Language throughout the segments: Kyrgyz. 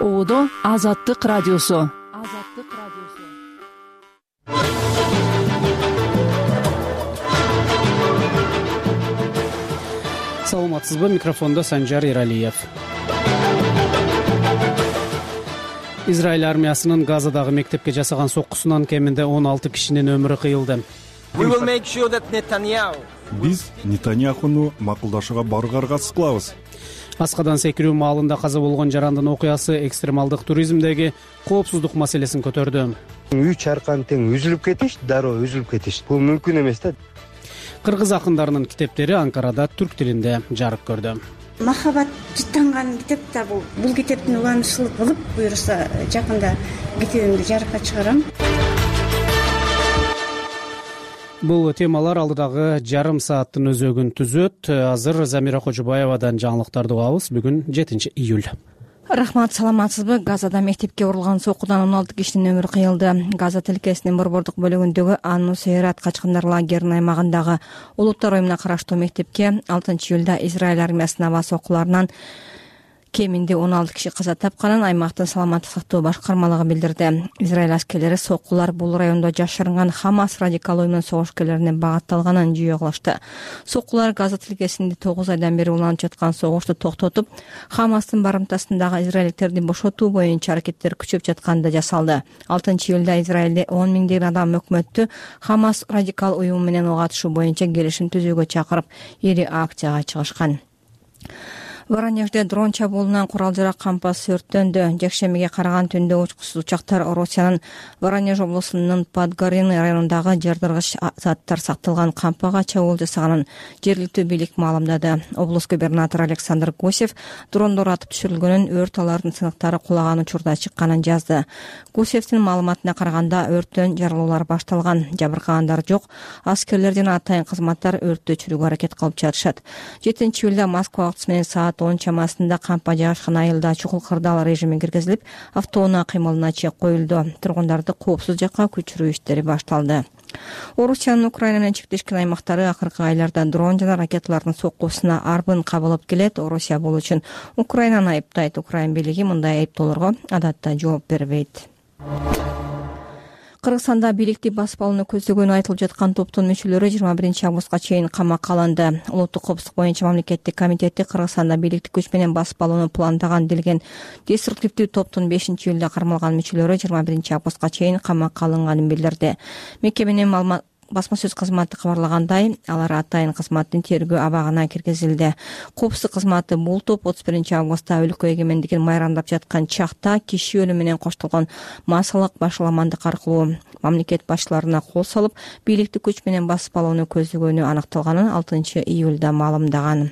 Оодо Азаттык радиосу. Саламатсызбы? Микрофондо Санжар Иралиев. Израиль армиясынын Газадагы мектепке жасаган соккусунан кеминде 16 кишинин өмүрү кыйылды. Биз Нетаньяхуну макулдашууга барууга аракет кылабыз. Аскадан секирүү маалында каза болгон жарандын окуясы экстремалдык туризмдеги коопсуздук маселесин көтөрдү. 3 аркан тең үзүлүп кетиш, дароо үзүлүп кетиш. Бул мүмкүн эмес да. Кыргыз акындарынын китептери Анкарада түрк тилинде жарык көрдү. Махабат жыттанган китеп да бул китептин уланышчылык кылып, буюрса жакында китебимди жарыкка чыгарам. Бул темалар алдыдагы жарым сааттын өзөгүн түзөт. Азыр Замира Кожубаевадан жаңылыктарды угабыз. Бүгүн 7-июль. Рахмат, саламатсызбы? Газада мектепке урулган соккудан 16 кишинин өмүрү кыйылды. Газа тилкесинин борбордук бөлүгүндөгү Ан-Нусейрат качкындар лагеринин аймагындагы улуттар оюмуна караштуу мектепке 6-июлда Израиль армиясынын аба соккуларынан кеминде 16 киши каза тапканын аймактын саламаттык сактоо башкармалыгы билдирди. Израиль аскерлери соккулар бул райондо жашырынган Хамас радикал уюмунун согушкерлерине багытталганын жүйө кылышты. Соккулар Газа тилкесинде 9 айдан бери уланып жаткан согушту токтотуп, Хамастын барымтасындагы израилдиктерди бошотуу боюнча аракеттер күчөп жатканда жасалды. 6-июлда Израилде 10 миңдеген адам өкмөттү Хамас радикал уюму менен ого атышуу боюнча келишим түзүүгө чакырып, ири акцияга чыгышкан. Воронежде дрон чабуулунан курал-жарак кампасы өрттөндү. Жекшембиге караган түндө учкусуз учактар Россиянын Воронеж облусунун Подгорный районундагы жардыргыч заттар сакталган кампага чабуул жасаганын жергиликтүү бийлик маалымдады. Облус губернатору Александр Гусев дрондор атып түшүрүлгөнүн, өрт алардын сыныктары кулаган учурда чыкканын жазды. Гусевдин маалыматына караганда өрттөн жарылуулар башталган, жабыркагандар жок. Аскерлер жана атайын кызматтар өрттү өчүрүүгө аракет кылып жатышат. 7-июлда Москва убакыты менен саат 10 чамасында кампа жайгашкан айылда чукул кырдаал режими киргизилип, автоунаа кыймылына чек коюлду. Тургундарды коопсуз жакка көчүрүү иштери башталды. Орусиянын Украина менен чектешкен аймактары акыркы айларда дрон жана ракеталардын соккусуна арбын кабылып келет. Орусия бул үчүн Украинаны айыптайт. Украин бийлиги мындай айыптоолорго адатта жооп бербейт. Кыргызстанда бийликти басып алууну көздөгөнү айтылып жаткан топтун мүчөлөрү 21 августка чейин камакка алынды. Улуттук коопсуздук боюнча мамлекеттик комитети Кыргызстанда бийликти күч менен басып алууну пландаган делген деструктивдүү топтун 5-июлда кармалган мүчөлөрү 21 августка чейин камакка алынганын билдирди. Мекеменин басма сөз кызматы кабарлагандай, алар атайын кызматтын тергөө абагына киргизилди. Коопсуздук кызматы бул топ 31 августта өлкө эгемендигин майрамдап жаткан чакта киши өлүмү менен коштолгон массалык башаламандык аркылуу мамлекет башчыларына кол салып, бийликти күч менен басып алууну көздөгөнү аныкталганын 6-июлда маалымдаган.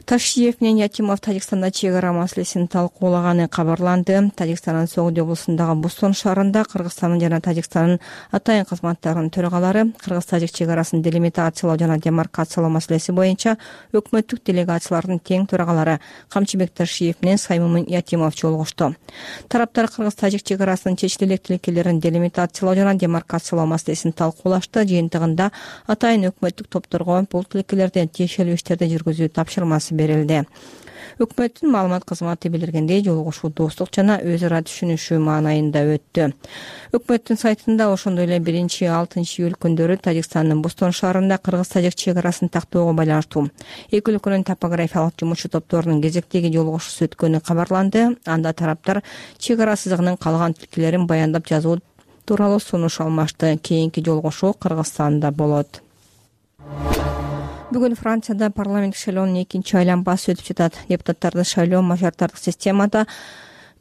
Ташиев менен Ятимов Тажикстанда чек ара маселесин талкуулаганы кабарланды. Тажикстандын Согуди облусундагы Бустон шаарында Кыргызстандын жана Тажикстандын атайын кызматтарынын төрагалары Кыргыз-Тажик чек арасын делимитациялоо жана демаркациялоо маселеси боюнча өкмөттүк делегациялардын тең төрагалары Камчыбек Ташиев менен Саймумин Ятимов жолугушту. Тараптар Кыргыз-Тажик чек арасынын чечил электикелерин делимитациялоо жана демаркациялоо маселесин талкуулашты. Жыйынтыгында атайын өкмөттүк топторго бул тилекелерден тиешелүү иштерди жүргүзүү тапшырмасы берилди. Өкмөттүн маалымат кызматы билдиргендей, жолугушуу достук жана өз ара түшүнүшүү маанайында өттү. Өкмөттүн сайтында ошондой эле 1-6 күндөрү Тажикстандын Бустон шаарында Кыргыз-Тажик чек арасын тактоого байланыштуу эки өлкөнүн топографиялык жумушчу топторунун кезектеги жолугушуусу өткөнү кабарланды. Анда тараптар чек ара сызыгынын калган тилкелерин баяндап жазуу тууралуу сунуш алмашты. Кийинки жолугушуу Кыргызстанда болот. Бүгүн Францияда парламент шайлоонун экинчи айланмасы өтүп жатат. Депутаттарды шайлоо мажоритардык системада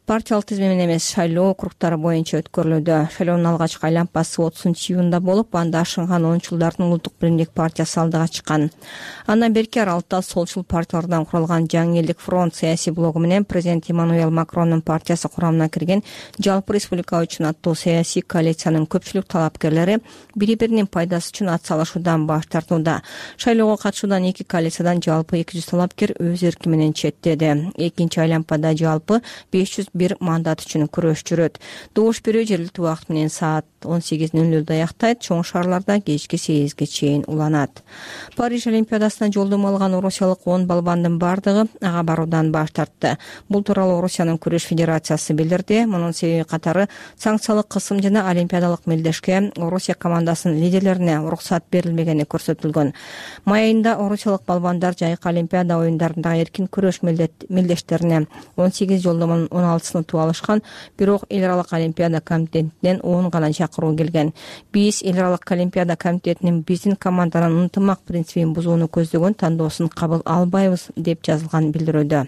партиялык тизме менен эмес, шайлоо округдары боюнча өткөрүлүүдө. Шайлоонун алгачкы айланмасы 30-июнда болуп, анда ашынган оңчулдардын улуттук биримдик партиясы алдыга чыккан. Андан берки аралыкта солчул партиялардан куралган Жаңы элдик фронт саясий блогу менен президент Эммануэль Макрондун партиясы курамына кирген Жалпы республика үчүн аттуу саясий коалициянын көпчүлүк талапкерлери бири-биринин пайдасы үчүн ат салышуудан баш тартууда. Шайлоого катышуудан эки коалициядан жалпы 200 талапкер өз эрки менен четтеди. Экинчи айланмада жалпы 500 бир мандат үчүн күрөш жүрөт. Добуш берүү жергиликтүү убакыт менен саат 18:00 аяктайт, чоң шаарларда кечки 8-ге чейин уланат. Париж Олимпиадасына жолдомо алган орусиялык 10 балбандын бардыгы ага баруудан баш тартты. Бул тууралуу Орусиянын күрөш федерациясы билдирди. Мунун себеби катары санкциялык кысым жана олимпиадалык мелдешке Орусия командасынын лидерлерине уруксат берилмегени көрсөтүлгөн. Май айында орусиялык балбандар жайкы олимпиада оюндарындагы эркин күрөш мелдештерине 18 жолдомонун 16-сын утуп алышкан, бирок эл аралык олимпиада комитетинен 10 гана чакыруу келген. Биз эл аралык олимпиада комитетинин биздин команданын ынтымак принцибин бузууну көздөгөн тандоосун кабыл албайбыз деп жазылган билдирүүдө.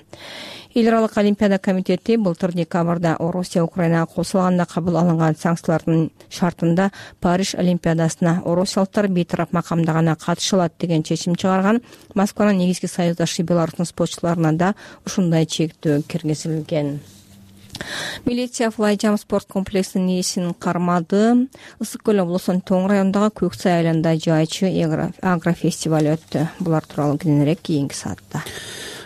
Эл аралык олимпиада комитети былтыр декабрда Орусия Украинага кошулганда кабыл алынган санкциялардын шартында Париж олимпиадасына орусиялыктар бейтарап макамда гана катыша алат деген чечим чыгарган. Москванын негизги союздашы Беларустун спортчуларына да ушундай чектөө киргизилген. Милиция Флайджам спорт комплексинин ээсин кармады. Ысык көл облусунун Тоң районундагы Көксай айланында жайчы агрофестиваль өттү. Булар тууралуу кийинирээк кийинки саатта.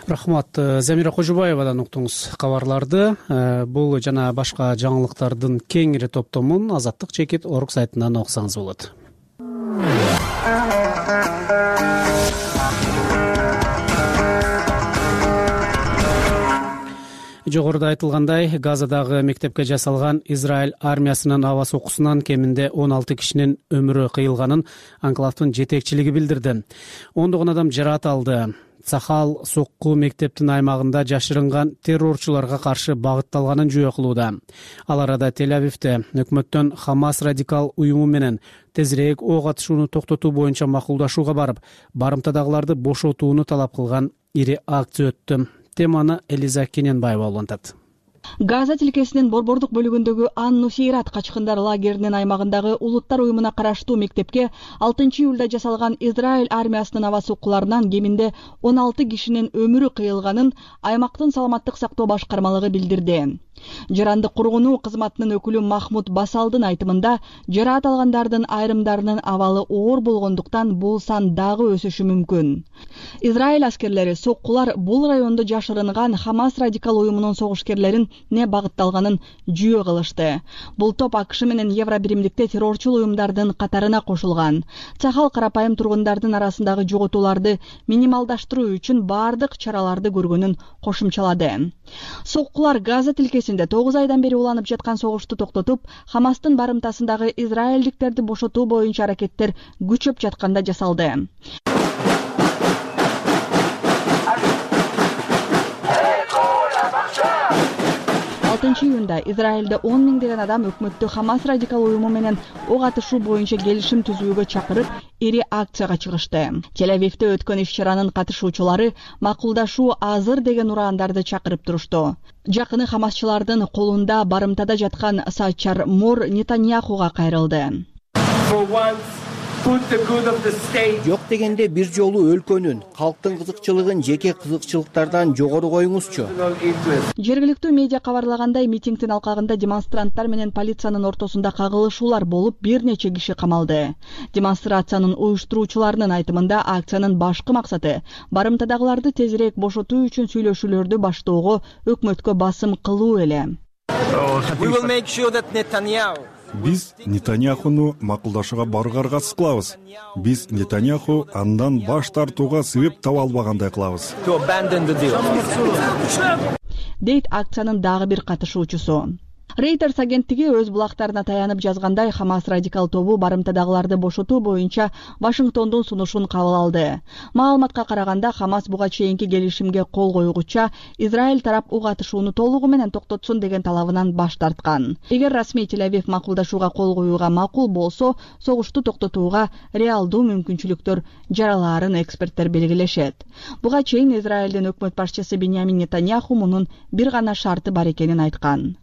Рахмат. Замира Кожубаевадан уктуңуз кабарларды. Бул жана башка жаңылыктардын кеңири топтомун Азаттык чекит орг сайтынан окусаңыз болот. Жогоруда айтылгандай, Газадагы мектепке жасалган Израиль армиясынын аба соккусунан кеминде 16 кишинин өмүрү кыйылганын анклавдын жетекчилиги билдирди. Ондогон адам жараат алды. Цахал сокку мектептин аймагында жашырынган террорчуларга каршы багытталганын жүйө кылууда. Ал арада Тель-Авивде өкмөттөн Хамас радикал уюму менен тезирээк ок атышууну токтотуу боюнча макулдашууга барып, барымтадагыларды бошотууну талап кылган ири акция өттү. Теманы Элиза Кененбаева улантат. Газа тилкесинин борбордук бөлүгүндөгү Ан-Нусейрат качкындар лагеринин аймагындагы улуттар уюмуна караштуу мектепке 6 июлда жасалган Израиль армиясынын аба соккуларынан кеминде 16 кишинин өмүрү кыйылганын аймактын саламаттык сактоо башкармалыгы билдирди. Жарандык кургунуу кызматынын өкүлү Махмуд Басалдын айтымында, жараат алгандардын айрымдарынын абалы оор болгондуктан бул сан дагы өсүшү мүмкүн. Израиль аскерлери соккулар бул райондо жашырынган Хамас радикал уюмунун согушкерлерин не багытталганын жүйө кылышты. Бул топ АКШ менен Евробиримдикте террорчул уюмдардын катарына кошулган. Цахал карапайым тургундардын арасындагы жоготууларды минималдаштыруу үчүн бардык чараларды көргөнүн кошумчалады. Соккулар Газа тилкесинде 9 айдан бери уланып жаткан согушту токтотуп, Хамастын барымтасындагы израилдиктерди бошотуу боюнча аракеттер күчөп жатканда жасалды. 6 июнда Израилде 10 миңдеген адам өкмөттү Хамас радикал уюму менен ок атышуу боюнча келишим түзүүгө чакырып, ири акцияга чыгышты. Тель-Авивде өткөн иш-чаранын катышуучулары макулдашуу азыр деген ураандарды чакырып турушту. Жакыны хамасчылардын колунда барымтада жаткан Сачар Мор Нетаньяхуга кайрылды. Жок дегенде бир жолу өлкөнүн, калктын кызыкчылыгын жеке кызыкчылыктардан жогору коюңузчу. Жергиликтүү медиа кабарлагандай, митингдин алкагында демонстранттар менен полициянын ортосунда кагылышуулар болуп, бир нече киши камалды. Демонстрациянын уюштуруучуларынын айтымында, акциянын башкы максаты барымтадагыларды тезирээк бошотуу үчүн сүйлөшүүлөрдү баштоого өкмөткө басым кылуу эле. Биз Нетаньяхуну макулдашууга баргарга аракет кылабыз. Биз Нетаньяху андан баш тартууга себеп таба албагандай кылабыз. Дейт акциянын дагы бир катышуучусу. Reuters агенттиги өз булактарына таянып жазгандай, Хамас радикал тобу барымтадагыларды бошотуу боюнча Вашингтондун сунушун кабыл алды. Маалыматка караганда, Хамас буга чейинки келишимге кол коюгуча Израиль тарап ок атышууну толугу менен токтотсун деген талабынан баш тарткан. Эгер расмий Тель-Авив макулдашууга кол коюуга макул болсо, согушту токтотууга реалдуу мүмкүнчүлүктөр жаралаарын эксперттер белгилешет. Буга чейин Израилдин өкмөт башчысы Биньямин Нетаньяху мунун бир гана шарты бар экенин айткан.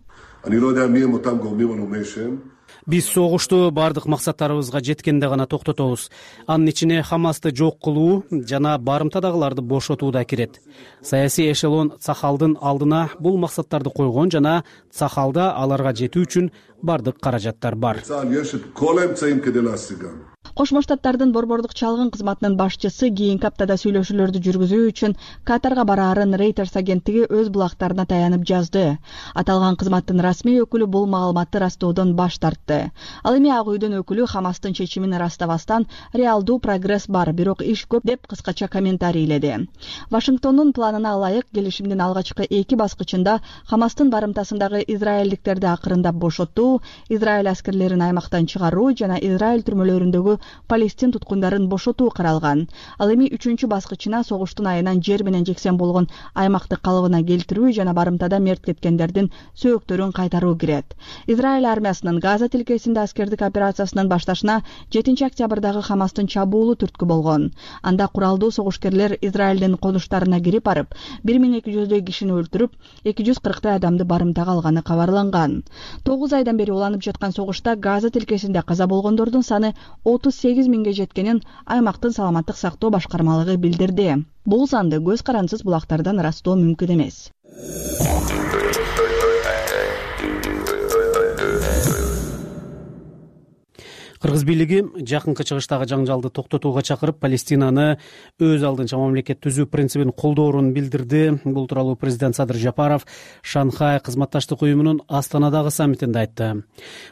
Биз согушту бардык максаттарыбызга жеткенде гана токтотобуз. Анын ичине Хамасты жок кылуу жана барымтадагыларды бошотуу да кирет. Саясий эшелон Цахалдын алдына бул максаттарды койгон жана Цахалда аларга жетүү үчүн бардык каражаттар бар. Кошмо Штаттардын борбордук чалгын кызматынын башчысы кийинки аптада сүйлөшүүлөрдү жүргүзүү үчүн Катарга бараарын Reuters агенттиги өз булактарына таянып жазды. Аталган кызматтын расмий өкүлү бул маалыматты растоодон баш тартты. Ал эми Ак үйдүн өкүлү Хамастын чечимин ырастабастан реалдуу прогресс бар, бирок иш көп деп кыскача комментарийледи. Вашингтондун планына ылайык келишимдин алгачкы 2 баскычында Хамастын барымтасындагы израилдиктерди акырындап бошотуу, Израиль аскерлерин аймактан чыгаруу жана Израиль түрмөлөрүндөгү Палестин туткундарын бошотуу каралган. Ал эми 3-чү баскычына согуштун айынан жер менен жексен болгон аймакты калыбына келтирүү жана барымтада мерт кеткендердин сөөктөрүн кайтаруу кирет. Израиль армиясынын Газа тилкесинде аскердик операциясынын башташына 7-октябрдагы Хамастын чабуулу түрткү болгон. Анда куралдуу согушкерлер Израилдин конуштарына кирип барып, 1200 кишини өлтүрүп, 240 адамды барымтага алганы кабарланган. 9 айдан бери уланып жаткан согушта Газа тилкесинде каза болгондордун саны 38 миңге жеткенин аймактын саламаттык сактоо башкармалыгы билдирди. Бул санды көз карансыз булактардан ырастоо мүмкүн эмес. Кыргыз бийлиги жакынкы чыгыштагы жаңжалды токтотууга чакырып, Палестинаны өз алдынча мамлекет түзүү принцибин колдоорун билдирди. Бул тууралуу президент Садыр Жапаров Шанхай кызматташтык уюмунун Астанадагы саммитинде айтты.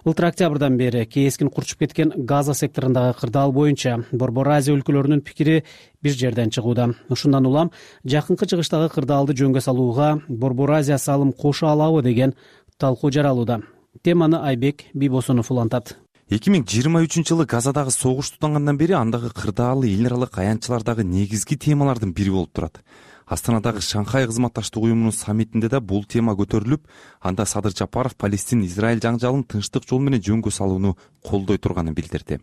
Былтыр октябрдан бери кескин курчуп кеткен Газа секторундагы кырдаал боюнча Борбор Азия өлкөлөрүнүн пикири бир жерден чыгууда. Ушундан улам жакынкы чыгыштагы кырдаалды жөнгө салууга Борбор Азия салым кошо алабы деген талкуу жаралууда. Теманы Айбек Бийбосунов улантат. 2023-жылы Газадагы согуш тутангандан бери андагы кырдаалы эл аралык аянтчылардагы негизги темалардын бири болуп турат. Астанадагы Шанхай кызматташтык уюмунун саммитинде да бул тема көтөрүлүп, анда Садыр Жапаров Палестин-Израиль жаңжалын тынчтык жол менен жөнгө салууну колдой турганын билдирди.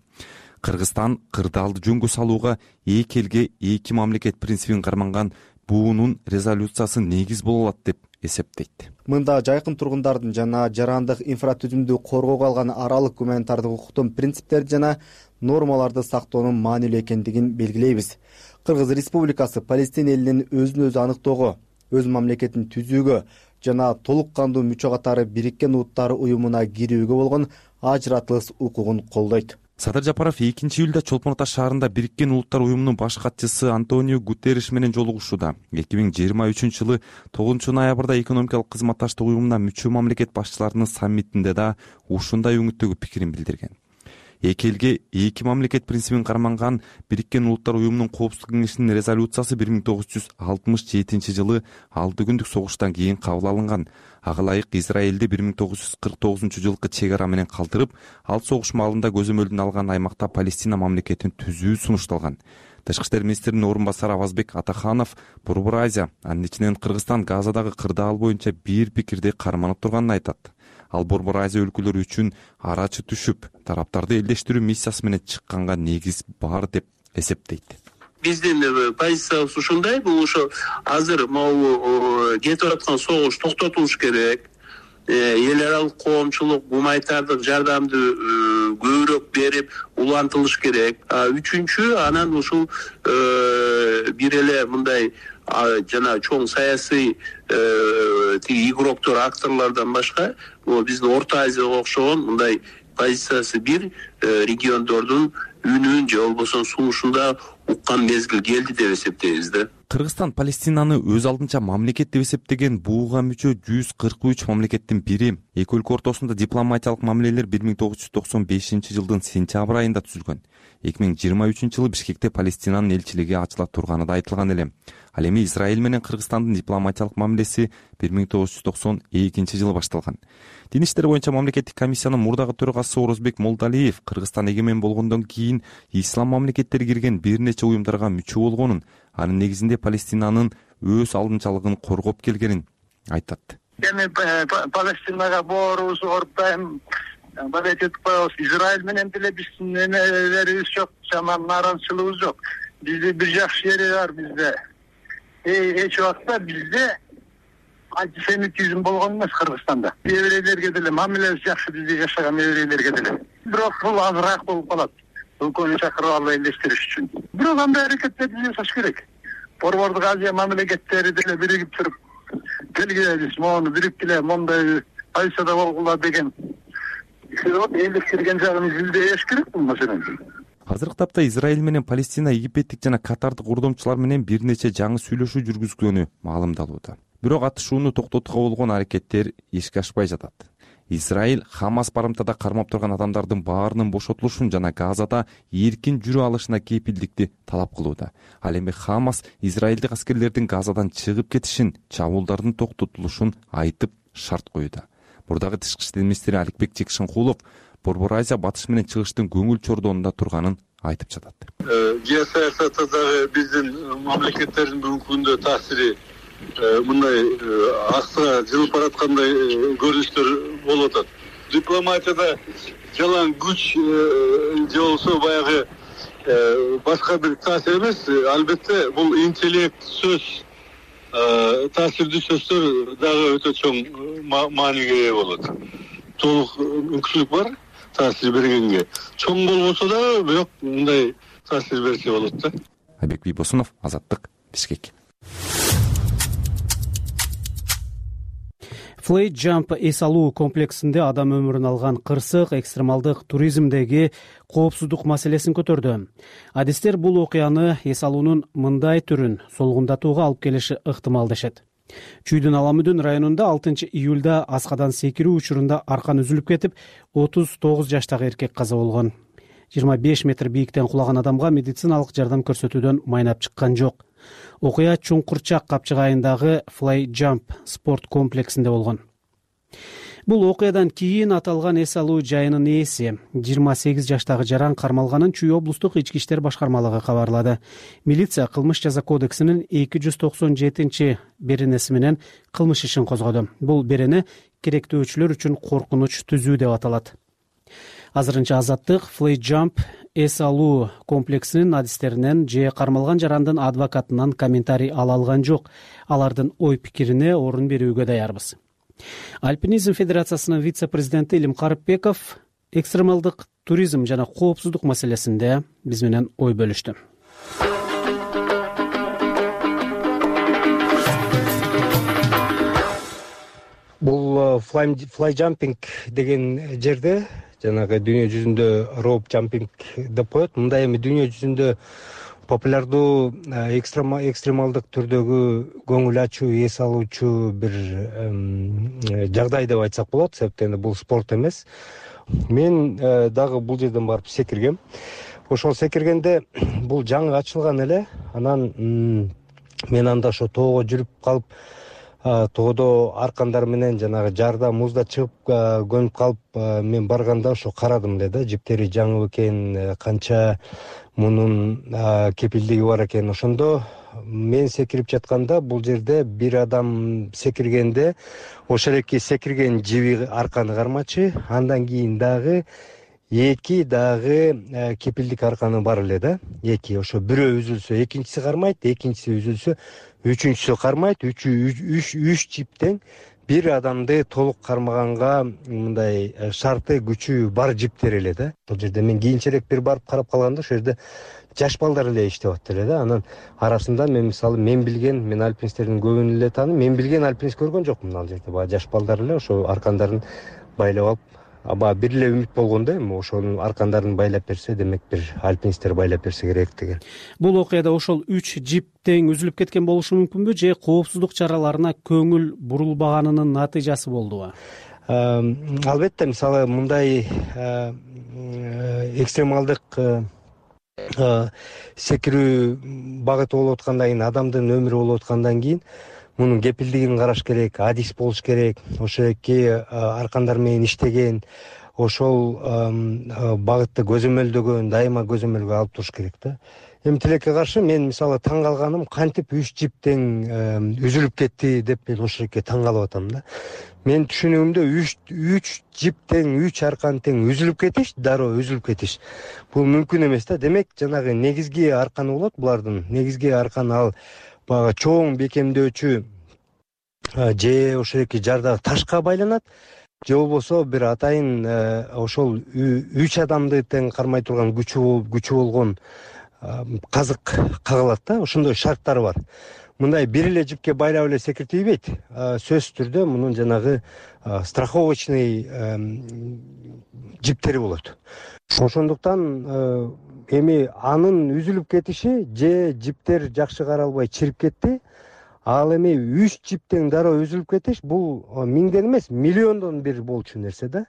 Кыргызстан кырдаалды жөнгө салууга эки элге эки мамлекет принцибин карманган буунун резолюциясы негиз боло алат деп эсептейт. Мында жайкын тургундардын жана жарандык инфратүзүмдү коргоого алган аралык гуманитардык укуктун принциптерди жана нормаларды сактоонун маанилүү экендигин белгилейбиз. Кыргыз Республикасы Палестин элинин өзүн өзү аныктоого, өз мамлекетин түзүүгө жана толук кандуу мүчө катары Бириккен Улуттар уюмуна кирүүгө болгон ажыратылыс укугун колдойт. Садыр Жапаров 2-июлда Чолпон Ата шаарында Бириккен Улуттар уюмунун баш катчысы Антонио Гутерриш менен жолугушууда. 2023-жылы 9-ноябрда экономикалык кызматташтык уюмуна мүчө мамлекет башчыларынын саммитинде да ушундай өңүттөгү пикирин билдирген. Эки элге эки мамлекет принцибин карманган Бириккен Улуттар уюмунун Коопсуздук кеңешинин резолюциясы 1967-жылы 6 күндүк согуштан кийин кабыл алынган. Ага ылайык Израилди 1949-жылкы чек ара менен калтырып, ал согуш маалында көзөмөлдүн алган аймакта Палестина мамлекетин түзүү сунушталган. Тышкы иштер министринин орун басары Авазбек Атаханов Борбор Азия, анын ичинен Кыргызстан Газадагы кырдаал боюнча бир пикирде карманып турганын айтат. Ал Борбор Азия өлкөлөрү үчүн арачы түшүп, тараптарды элдештирүү миссиясы менен чыкканга негиз бар деп эсептейт. Биздин позициябыз ушундай, бул ошо азыр могу кетип аткан согуш токтотулуш керек. Эл аралык коомчулук гуманитардык жардамды көбүрөөк берип улантылыш керек. Үчүнчү, анан ушул бир эле мындай жана чоң саясий игроктор, акторлордон башка биздин Орто Азияга окшогон мындай позициясы бир региондордун үнүн же болбосо сунушунда уккан мезгил келди деп эсептейбиз да. Кыргызстан Палестинаны өз алдынча мамлекет деп эсептеген буга мүчө 143 мамлекеттин бири. Эки өлкө ортосунда дипломатиялык мамилелер 1995-жылдын сентябрь айында түзүлгөн. 2023-жылы Бишкекте Палестинанын элчилиги ачыла турганы да айтылган эле. Ал эми Израиль менен Кыргызстандын дипломатиялык мамилеси 1992-жылы башталган. Дин иштери боюнча мамлекеттик комиссиянын мурдагы төрагасы Орозбек Молдалиев Кыргызстан эгемен болгондон кийин ислам мамлекеттери кирген бир нече уюмдарга мүчө болгонун, анын негизинде Палестинанын өз алдынчалыгын коргоп келгенин айтат. Эми Палестинага боорубузду ордайм, балет этип коебуз. Израиль менен деле биздин эмелерибиз жок, жаман нааразычылыгыбыз жок. Бизде бир жакшы жери бар бизде. Эч убакта бизде антисемитизм болгон эмес Кыргызстанда. Еврейлерге деле мамилебиз жакшы, бизде жашаган еврейлерге деле. Бирок бул азыраак болуп калат. Өлкөнү чакырып алып элдештириш үчүн. Бирок андай аракеттерди жасаш керек. Борбордук Азия мамлекеттери деле биригип туруп, келгиле мону бириктиле, мондай позицияда болгула деген элдештирген жагын изилдеш керек бул маселени. азыркы тапта Израиль менен Палестина египеттик жана катардык урдомчулар менен бир нече жаңы сүйлөшүү жүргүзгөнү маалымдалууда. Бирок атышууну токтотууга болгон аракеттер ишке ашпай жатат. Израиль Хамас барымтада кармап турган адамдардын баарынын бошотулушун жана Газада эркин жүрө алышына кепилдикти талап кылууда. Ал эми Хамас израилдик аскерлердин Газадан чыгып кетишин, чабуулдардын токтотулушун айтып шарт коюуда. Мурдагы тышкы иштер министри Аликбек Чекшенкулов Борбор Азия батыш менен чыгыштын көңүл чордоонунда турганын айтып жатат. Геосаясаттагы биздин мамлекеттердин бүгүнкү күндө таасири мындай аксыга жылып бараткандай көрүнүштөр болуп атат. Дипломатияда жалаң күч же болбосо баягы башка бир таасир эмес, албетте бул интеллект, сөз, таасирдүү сөздөр дагы өтө чоң мааниге ээ болот. Толук мүмкүнчүлүк бар таасир бергенге. Чоң болбосо да, бирок мындай таасир берсе болот да. Айбек Бийбосунов, Азаттык, Бишкек. Flight Jump эс алуу комплексинде адам өмүрүн алган кырсык экстремалдык туризмдеги коопсуздук маселесин көтөрдү. Адистер бул окуяны эс алуунун мындай түрүн солгундатууга алып келиши ыктымал дешет. Чүйдүн Аламүдүн районунда 6 июлда аскадан секирүү учурунда аркан үзүлүп кетип, 39 жаштагы эркек каза болгон. 25 метр бийиктен кулаган адамга медициналык жардам көрсөтүүдөн майнап чыккан жок. Окуя Чуңкурчак капчыгайындагы Fly Jump спорт комплексинде болгон. Бул окуядан кийин аталган эс алуу жайынын ээси 28 жаштагы жаран кармалганын Чүй облустук ички иштер башкармалыгы кабарлады. Милиция кылмыш жаза кодексинин 297 беренеси менен кылмыш ишин козгоду. Бул берене керектөөчүлөр үчүн коркунуч түзүү деп аталат. Азырынча Азаттык Fly Jump эс алуу комплексинин адистеринен же кармалган жарандын адвокатынан комментарий ала алган жок. Алардын ой пикирине орун берүүгө даярбыз. Альпинизм федерациясынын вице-президенти Илим Карыпбеков экстремалдык туризм жана коопсуздук маселесинде биз менен ой бөлүштү. Бул fly jumping деген жерде жанагы дүйнө жүзүндө rope jumping деп коет. Мындай эми дүйнө жүзүндө популярдуу экстремалдык түрдөгү көңүл ачуу, эс алуучу бир жагдай деп айтсак болот, себептен бул спорт эмес. Мен дагы бул жерден барып секиргем. Ошол секиргенде бул жаңы ачылган эле, анан мен анда ошо тоого жүрүп калып, тоодо аркандар менен жанагы жарда музда чыгып көнүп калып, мен барганда ошо карадым эле да, жиптери жаңы экен, канча мунун кепилдиги бар экен. Ошондо мен секирип жатканда бул жерде бир адам секиргенде ошол эки секирген жиби арканы кармачы, андан кийин дагы эки дагы кепилдик арканы бар эле да. Эки ошо бирөө үзүлсө экинчиси кармайт, экинчиси үзүлсө үчүнчүсү кармайт. Үч жиптен бир адамды толук кармаганга мындай шарты күчү бар жиптер эле да. Бул жерде мен кийинчерээк бир барып карап калганда ошол жерде жаш балдар эле иштеп атты эле да. Анан арасында мен мисалы мен альпинисттердин көбүн эле тааныйм. Мен билген альпинист көргөн жокмун ал жерде. Баа жаш балдар эле ошо аркандарын байлап алып, аба бир эле үмүт болгондо эми ошонун аркандарын байлап берсе, демек бир альпинисттер байлап берсе керек деген. Бул окуяда ошол 3 жип тең үзүлүп кеткен болушу мүмкүнбү же коопсуздук чараларына көңүл бурулбаганынын натыйжасы болдубу? Албетте, мисалы мындай экстремалдык секирүү багыты болуп аткандан кийин, адамдын өмүрү болуп аткандан кийин мунун кепилдигин караш керек, адис болуш керек. Ошо эки аркандар менен иштеген, ошол багытты көзөмөлдөгөн, дайыма көзөмөлгө алып туруш керек да. Эми тилекке каршы мен мисалы таң калганым, кантип 3 жип тең үзүлүп кетти деп мен ошол эки таң калып атам да. Мен түшүнүгүмдө 3 жип тең, 3 аркан тең үзүлүп кетиш, дароо үзүлүп кетиш. Бул мүмкүн эмес да. Демек жанагы негизги арканы болот булардын. Негизги аркан ал бага чоң бекемдөөчү же ошол эки жардагы ташка байланат, же болбосо бир атайын ошол 3 адамды тең кармай турган күчү болгон казык кагылат да. Ошондой шарттары бар. Мындай бир эле жипке байлап эле секиртип ийбейт. Сөзсүз түрдө мунун жанагы страховочный жиптери болот. Ошондуктан эми анын үзүлүп кетиши же жиптер жакшы каралбай чирип кетти. Ал эми 3 жиптен дароо үзүлүп кетиш бул миңден эмес миллиондон бир болчу нерсе да.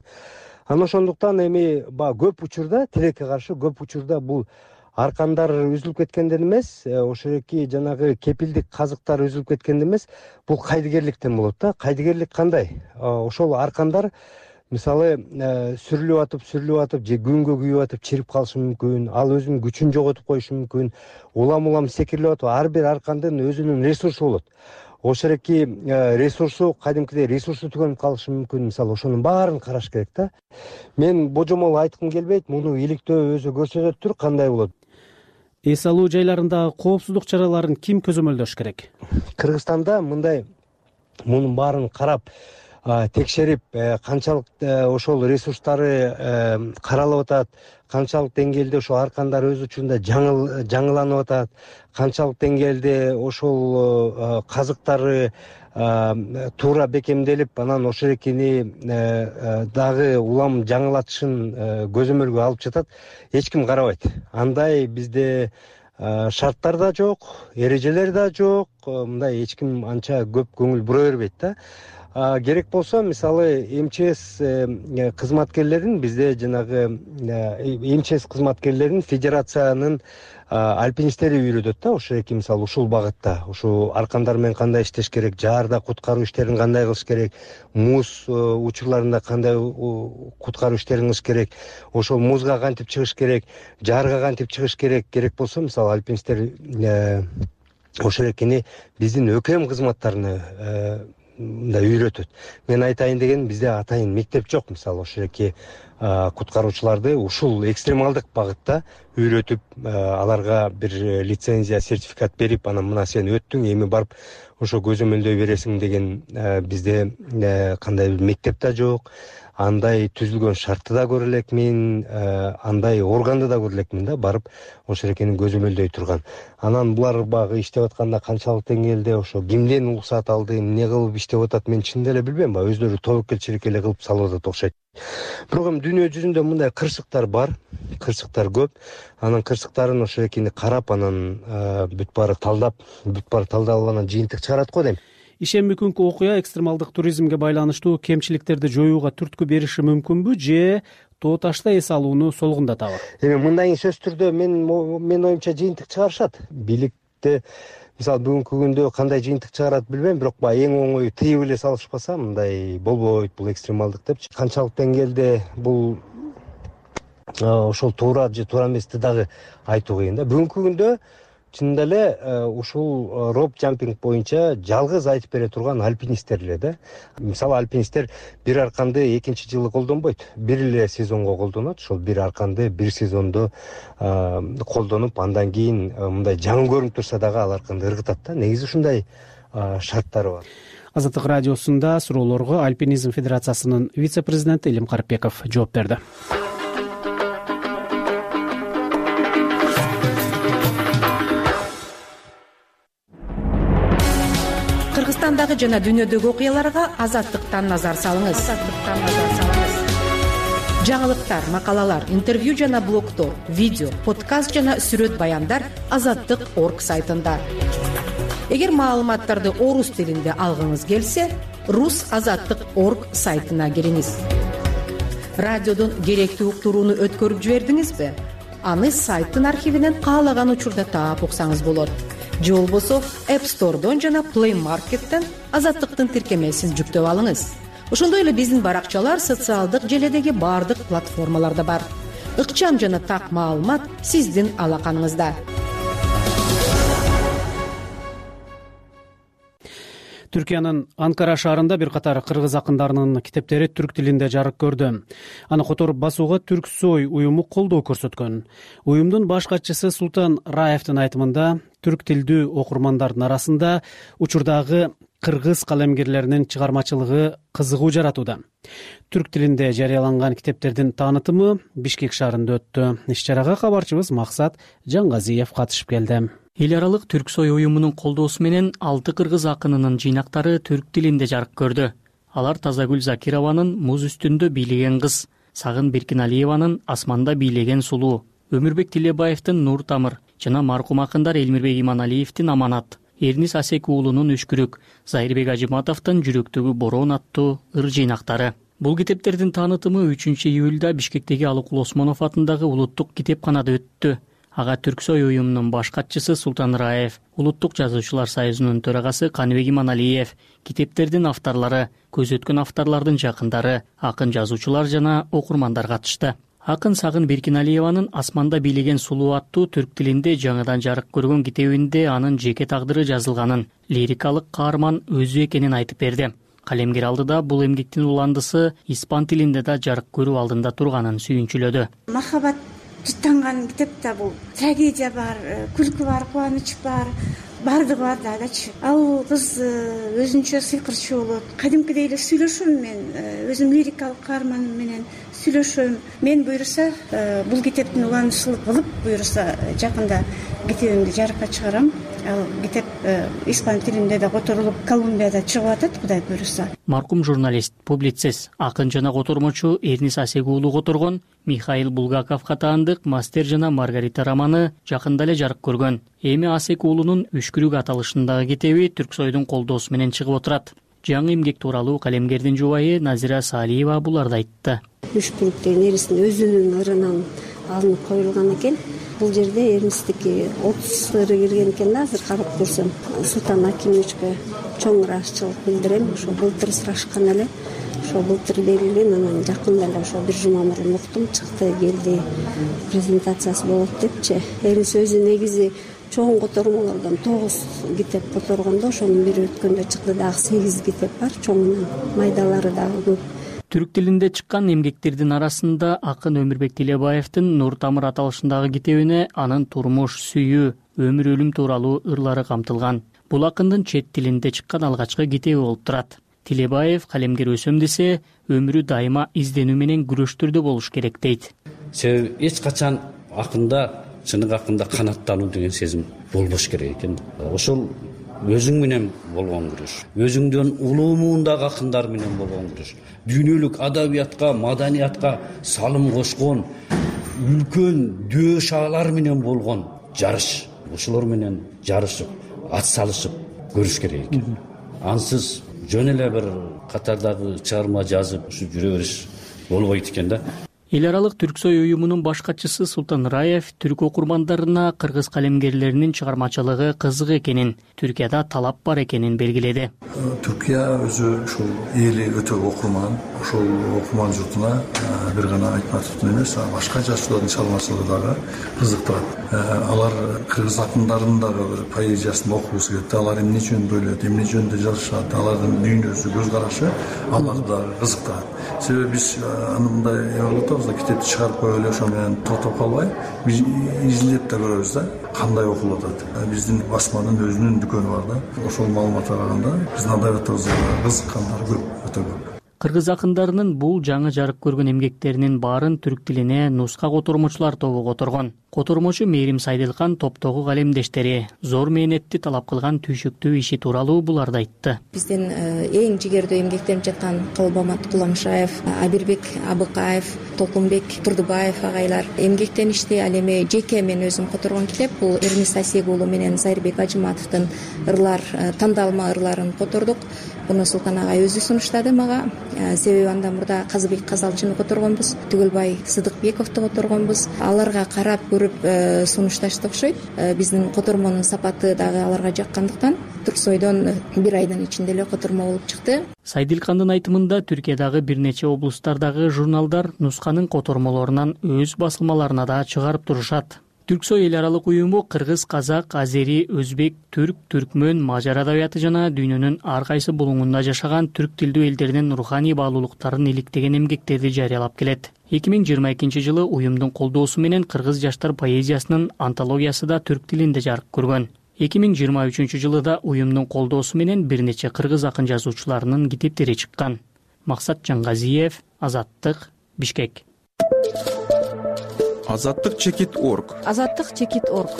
Анан ошондуктан эми баягы көп учурда тилекке каршы көп учурда бул аркандар үзүлүп кеткенден эмес, ошол эки жанагы кепилдик казыктар үзүлүп кеткенден эмес, бул кайдыгерликтен болот да. Кайдыгерлик кандай? Ошол аркандар мисалы сүрүлүп атып же күнгө күйүп атып чирип калышы мүмкүн, ал өзүнүн күчүн жоготуп коюшу мүмкүн, улам секирип атып, ар бир аркандын өзүнүн ресурсу болот. Ошол эки ресурсу кадимкидей ресурсу түгөнүп калышы мүмкүн, мисалы ошонун баарын караш керек да. Мен божомол айткым келбейт, муну иликтөө өзү көрсөтөттүр кандай болот. Эс алуу жайларындагы коопсуздук чараларын ким көзөмөлдөш керек? Кыргызстанда мындай мунун баарын карап текшерип, канчалык ошол ресурстары каралып атат, канчалык деңгээлде ошол аркандар өз учурунда жаңыланып атат, канчалык деңгээлде ошол казыктары туура бекемделип, анан ошол экини дагы улам жаңылатышын көзөмөлгө алып жатат, эч ким карабайт. Андай бизде шарттар да жок, эрежелер да жок, мындай эч ким анча көп көңүл бура бербейт да. Керек болсо, мисалы, МЧС кызматкерлерин бизде жанагы МЧС кызматкерлерин федерациянын альпинисттери үйрөтөт да, ошол эки мисалы ушул багытта, ушул аркандар менен кандай иштеш керек, жаарда куткаруу иштерин кандай кылыш керек, муз учурларында кандай куткаруу иштерин кылыш керек, ошол музга кантип чыгыш керек, жаарга кантип чыгыш керек. Керек болсо, мисалы, альпинисттер ошол экини биздин ӨКМ кызматтарыны мындай үйрөтөт. Мен айтайын деген, бизде атайын мектеп жок, мисалы, ошол эки куткаруучуларды ушул экстремалдык багытта үйрөтүп, аларга бир лицензия, сертификат берип, анан мына сен өттүң, эми барып ошо көзөмөлдөй бересиң деген бизде кандай бир мектеп да жок. Андай түзүлгөн шартты да көрө элекмин, андай органды да көрө элекмин да, барып ошол экени көзөмөлдөй турган. Анан булар багы иштеп атканда канчалык деңгээлде ошо кимден уруксат алды, эмне кылып иштеп атат, мен чын деле билбейм, өздөрү тобокелчилик эле кылып салып атат окшойт. Бирок эми дүйнө жүзүндө мындай кырсыктар бар, кырсыктар көп. Анан кырсыктарын ошол экени карап, анан бүт баары талдалып анан жыйынтык чыгарат го дейм. Ишемби күнкү окуя экстремалдык туризмге байланыштуу кемчиликтерди жоюуга түрткү бериши мүмкүнбү же тоо ташта эс алууну солгундатабы? Эми мындай сөзсүз түрдө мен оюмча жыйынтык чыгарышат. Бийликте мисалы бүгүнкү күндө кандай жыйынтык чыгарат билбейм, бирок баягы эң оңою тыйып эле салышпаса мындай болбойт бул экстремалдык депчи. Канчалык деңгээлде бул ошол туура же туура эмести дагы айтуу кыйын да. Бүгүнкү күндө чынында эле ушул роп жампинг боюнча жалгыз айтып бере турган альпинисттер эле да. Мисалы, альпинисттер бир арканды экинчи жылы колдонбойт, бир эле сезонго колдонот. Ошол бир арканды бир сезондо колдонуп, андан кийин мындай жаңы көрүнүп турса дагы ал арканды ыргытат да. Негизи ушундай шарттары бар. Азаттык радиосунда суроолорго Альпинизм федерациясынын вице-президенти Илим Карипбеков жооп берди. Кыргызстандагы жана дүйнөдөгү окуяларга Азаттыктан назар салыңыз. Жаңылыктар, макалалар, интервью жана блогдор, видео, подкаст жана сүрөт баяндар Азаттык.орг сайтында. Эгер маалыматтарды орус тилинде алгыңыз келсе, rusazаттык.org сайтына кириңиз. Радиодон керектүү уктурууну өткөрүп жибердиңизби? Аны сайттын архивинен каалаган учурда таап уксаңыз болот. Же болбосо App Store'дон жана Play Market'тен Азаттыктын тиркемесин жүктөп алыңыз. Ошондой эле биздин баракчалар социалдык желедеги бардык платформаларда бар. Ыкчам жана так маалымат сиздин алаканыңызда. Түркиянын Анкара шаарында бир катар кыргыз акындарынын китептери түрк тилинде жарык көрдү. Аны которуп басууга Түрксой уюму колдоо көрсөткөн. Уюмдун баш катчысы Султан Раевдин айтымында, түрк тилдүү окурмандардын арасында учурдагы кыргыз калемгерлеринин чыгармачылыгы кызыгуу жаратууда. Түрк тилинде жарыяланган китептердин таанытымы Бишкек шаарында өттү. Иш-чарага кабарчыбыз Максат Жаңгазиев катышып келди. Эл аралык Түрксой уюмунун колдоосу менен 6 кыргыз акынынын жыйнактары түрк тилинде жарык көрдү. Алар Тазагүл Закированын Муз үстүндө бийлеген кыз, Сагын Биркиналиеванын Асманда бийлеген сулуу, Өмүрбек Тилебаевдин Нур Тамыр жана маркум акындар Элмирбек Иманалиевдин Аманат, Эрнис Асек уулунун Үшкүрүк, Зайырбек Ажыматовдун Жүрөктөгү бороон аттуу ыр жыйнактары. Бул китептердин таанытымы 3-июлда Бишкектеги Алыкул Осмонов атындагы улуттук китепканада өттү. Ага Түрксой уюмунун баш катчысы Султан Раев, Улуттук жазуучулар союзунун төрагасы Каныбек Иманалиев, китептердин авторлору, көз өткөн авторлордун жакындары, акын жазуучулар жана окурмандар катышты. Акын Сагын Беркиналиеванын Асманда бийлеген сулуу аттуу түрк тилинде жаңыдан жарык көргөн китебинде анын жеке тагдыры жазылганын, лирикалык каарман өзү экенин айтып берди. Калемгер алдыда бул эмгектин уландысы испан тилинде да жарык көрүү алдында турганын сүйүнчүлөдү. Махабат жыттанган китепте бул трагедия бар, күлкү бар, кубаныч бар, бардыгы бар дагычы. Ал кыз өзүнчө сыйкырчу болот. Кадимкидей эле сүйлөшөм мен, өзүм лирикалык каарманым менен сүйлөшөм. Мен буюрса бул китептин уланышылык кылып, буюрса жакында китебимди жарыкка чыгарам. Ал китеп испан тилинде да которулуп, Колумбияда чыгып атат, Кудай буюрса. Маркум журналист, публицист, акын жана котормочу Эрнис Асек уулу которгон Михаил Булгаков катаандык Мастер жана Маргарита романы жакында эле жарык көргөн. Эми Асек уулунун Үшкүрүк аталышындагы китеби Түрксойдун колдоосу менен чыгып отурат. Жаңы эмгек тууралуу калемгердин жубайы Назира Салиева буларды айтты. Үшкүрүк деген эрисин өзүнүн ырынан алынып коюлган экен. Бул жерде Эрнистики 30 ыры кирген экен да, азыр карап көрсөм. Султан Акимовичке чоң ыраазычылык билдирем. Ошо былтыр сурашкан эле. Ошо былтыр берилген, анан жакында эле ошо бир жума мурун уктум, чыкты, келди. Презентациясы болот депчи. Эрнис өзү негизи чоң котормолордон 9 китеп которгондо, ошонун бири өткөндө чыкты, дагы 8 китеп бар, чоңунан майдалары дагы көп. Түрк тилинде чыккан эмгектердин арасында акын Өмүрбек Тилебаевдин Нур Тамыр аталышындагы китебине анын турмуш, сүйүү, өмүр өлүм тууралуу ырлары камтылган. Бул акындын чет тилинде чыккан алгачкы китеби болуп турат. Тилебаев калемгер өсөм десе, өмүрү дайыма изденүү менен күрөштүрдө болуш керек дейт. Себеби эч качан акында, чыныгы акында канаттануу деген сезим болбош керек экен. Ошол өзүң менен болгон күрөш, өзүңдөн улуу муундагы акындар менен болгон күрөш, дүйнөлүк адабиятка, маданиятка салым кошкон үлкөн дөшалар менен болгон жарыш. Ошолор менен жарышып, ат салышып көрүш керек экен. Ансыз жөн эле бир катардагы чыгарма жазып ушу жүрө бериш болбойт экен да. Эл аралык Түрксой уюмунун баш катчысы Султан Раев түрк окурмандарына кыргыз калемгерлеринин чыгармачылыгы кызык экенин, Түркияда талап бар экенин белгиледи. Түркия өзү ушул эли өтө окурман, ошол окурман журтуна бир гана Айтматовдун эмес, башка жазуучулардын чыгармачылыгы дагы кызыктырат. Алар кыргыз акындарынын дагы бир поэзиясын окугусу келет. Алар эмне үчүн бөлөт, эмне жөнүндө жазышат, алардын дүйнөсү, көз карашы аларды дагы кызыктырат. Себеби биз мындай кылып китепти чыгарып коюп эле ошо менен тотоп калбай, биз изилдеп да көрөбүз да, кандай окулуп атат. Биздин басманын өзүнүн дүкөнү бар да. Ошол маалыматка караганда биздин адабиятыбызга кызыккандар көп, өтө көп. Кыргыз акындарынын бул жаңы жарык көргөн эмгектеринин баарын түрк тилине нуска котормочулар тобу которгон. Котормочу Мээрим Сайдылкан топтогу калемдештери зор мээнетти талап кылган түйшүктүү иши тууралуу буларды айтты. Биздин эң жигердүү эмгектенип жаткан Калбамат Куламшаев, Абирбек Абыкаев, Толкунбек Турдубаев агайлар эмгектеништи. Ал эми жеке мен өзүм которгон китеп бул Эрнис Асек уулу менен Зайырбек Ажыматовдун ырлар, тандалма ырларын котордук. Буну Султан агай өзү сунуштады мага. Себеби андан мурда Казыбек Казалчыны которгонбуз, Түгөлбай Сыдыкбековду которгонбуз. Аларга карап көрүп сунушташты окшойт. Биздин котормонун сапаты дагы аларга жаккандыктан Түрксойдон бир айдын ичинде эле котормо болуп чыкты. Сайдылкандын айтымында Түркиядагы бир нече облустардагы журналдар нусканын котормолорунан өз басылмаларына да чыгарып турушат. Түрксой эл аралык уюму кыргыз, казак, азери, өзбек, түрк, түркмөн, мажар адабияты жана дүйнөнүн ар кайсы булуңунда жашаган түрк тилдүү элдердин руханий баалуулуктарын иликтеген эмгектерди жарыялап келет. 2022 жылы уюмдун колдоосу менен кыргыз жаштар поэзиясынын антологиясы да түрк тилинде жарык көргөн. 2023 жылы да уюмдун колдоосу менен бир нече кыргыз акын жазуучуларынын китептери чыккан. Максат Жаңгазиев, Азаттык, Бишкек. Азаттык чекит.орг. Азаттык чекит.орг.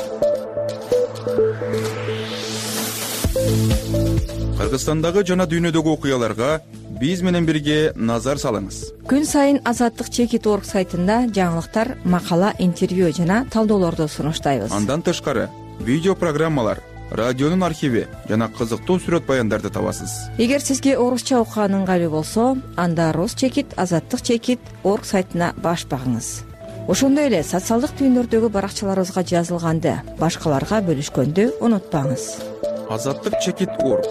Кыргызстандагы жана дүйнөдөгү окуяларга биз менен бирге назар салыңыз. Күн сайын Азаттык Чекит.org сайтында жаңылыктар, макала, интервью жана талдоолорду сунуштайбыз. Андан тышкары видео программалар, радионун архиви жана кызыктуу сүрөт баяндарды табасыз. Эгер сизге орусча окуган ыңгайлуу болсо, анда Рус Чекит, Азаттык Чекит.org сайтына баш багыңыз. Ошондой эле социалдык түйүндөрдөгү баракчаларыбызга жазылганды башкаларга бөлүшкөндү унутпаңыз. Азаттык Чекит.org.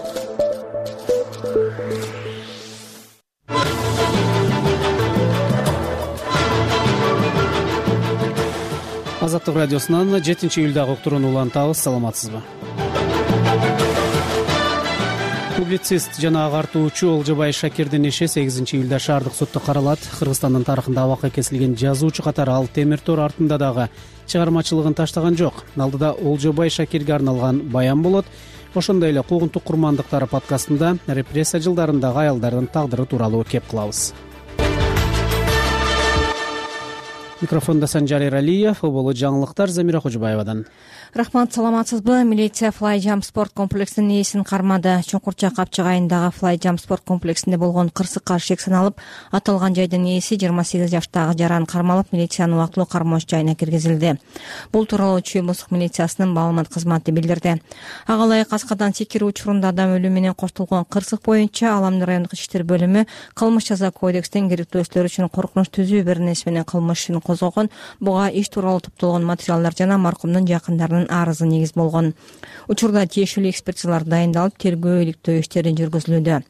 Азаттык радиосунан 7-июлдагы уктурууну улантабыз. Саламатсызбы? Публицист жана агартуучу Олжобай Шакирдин иши 8-июлда шаардык сотто каралат. Кыргызстандын тарыхында абакка кесилген жазуучу катары ал темир тор артында дагы чыгармачылыгын таштаган жок. Алдыда Олжобай Шакирге арналган баян болот. Ошондой эле куугунтук курмандыктары подкастында репрессия жылдарындагы аялдардын тагдыры тууралуу кеп кылабыз. Микрофонда Санжар Эралиев, болу жаңылыктар Замира Кожобаевадан. Рахмат, саламатсызбы? Милиция Fly Jump спорт комплексинин ээсин кармады. Чуңкурча Капчыгайындагы Fly Jump спорт комплексинде болгон кырсыкка шек саналып, аталган жайдын ээси 28 жаштагы жаран кармалып, милициянын убактылуу кармооч жайына киргизилди. Бул тууралуу Чүй облустук милициясынын маалымат кызматы билдирди. Ага ылайык Аскадан секирүү учурунда адам өлүмү менен коштолгон кырсык боюнча Аламды райондук иштер бөлүмү кылмыш жаза кодекстин керектөөчүлөр үчүн коркунуч түзүү бир нерсе менен кылмыш ишин козгогон, буга иш тууралуу топтолгон материалдар жана маркумдун жакындарынын арызы негиз болгон. Учурда тиешелүү экспертизалар дайындалып, тергөө иликтөө иштери жүргүзүлүүдө.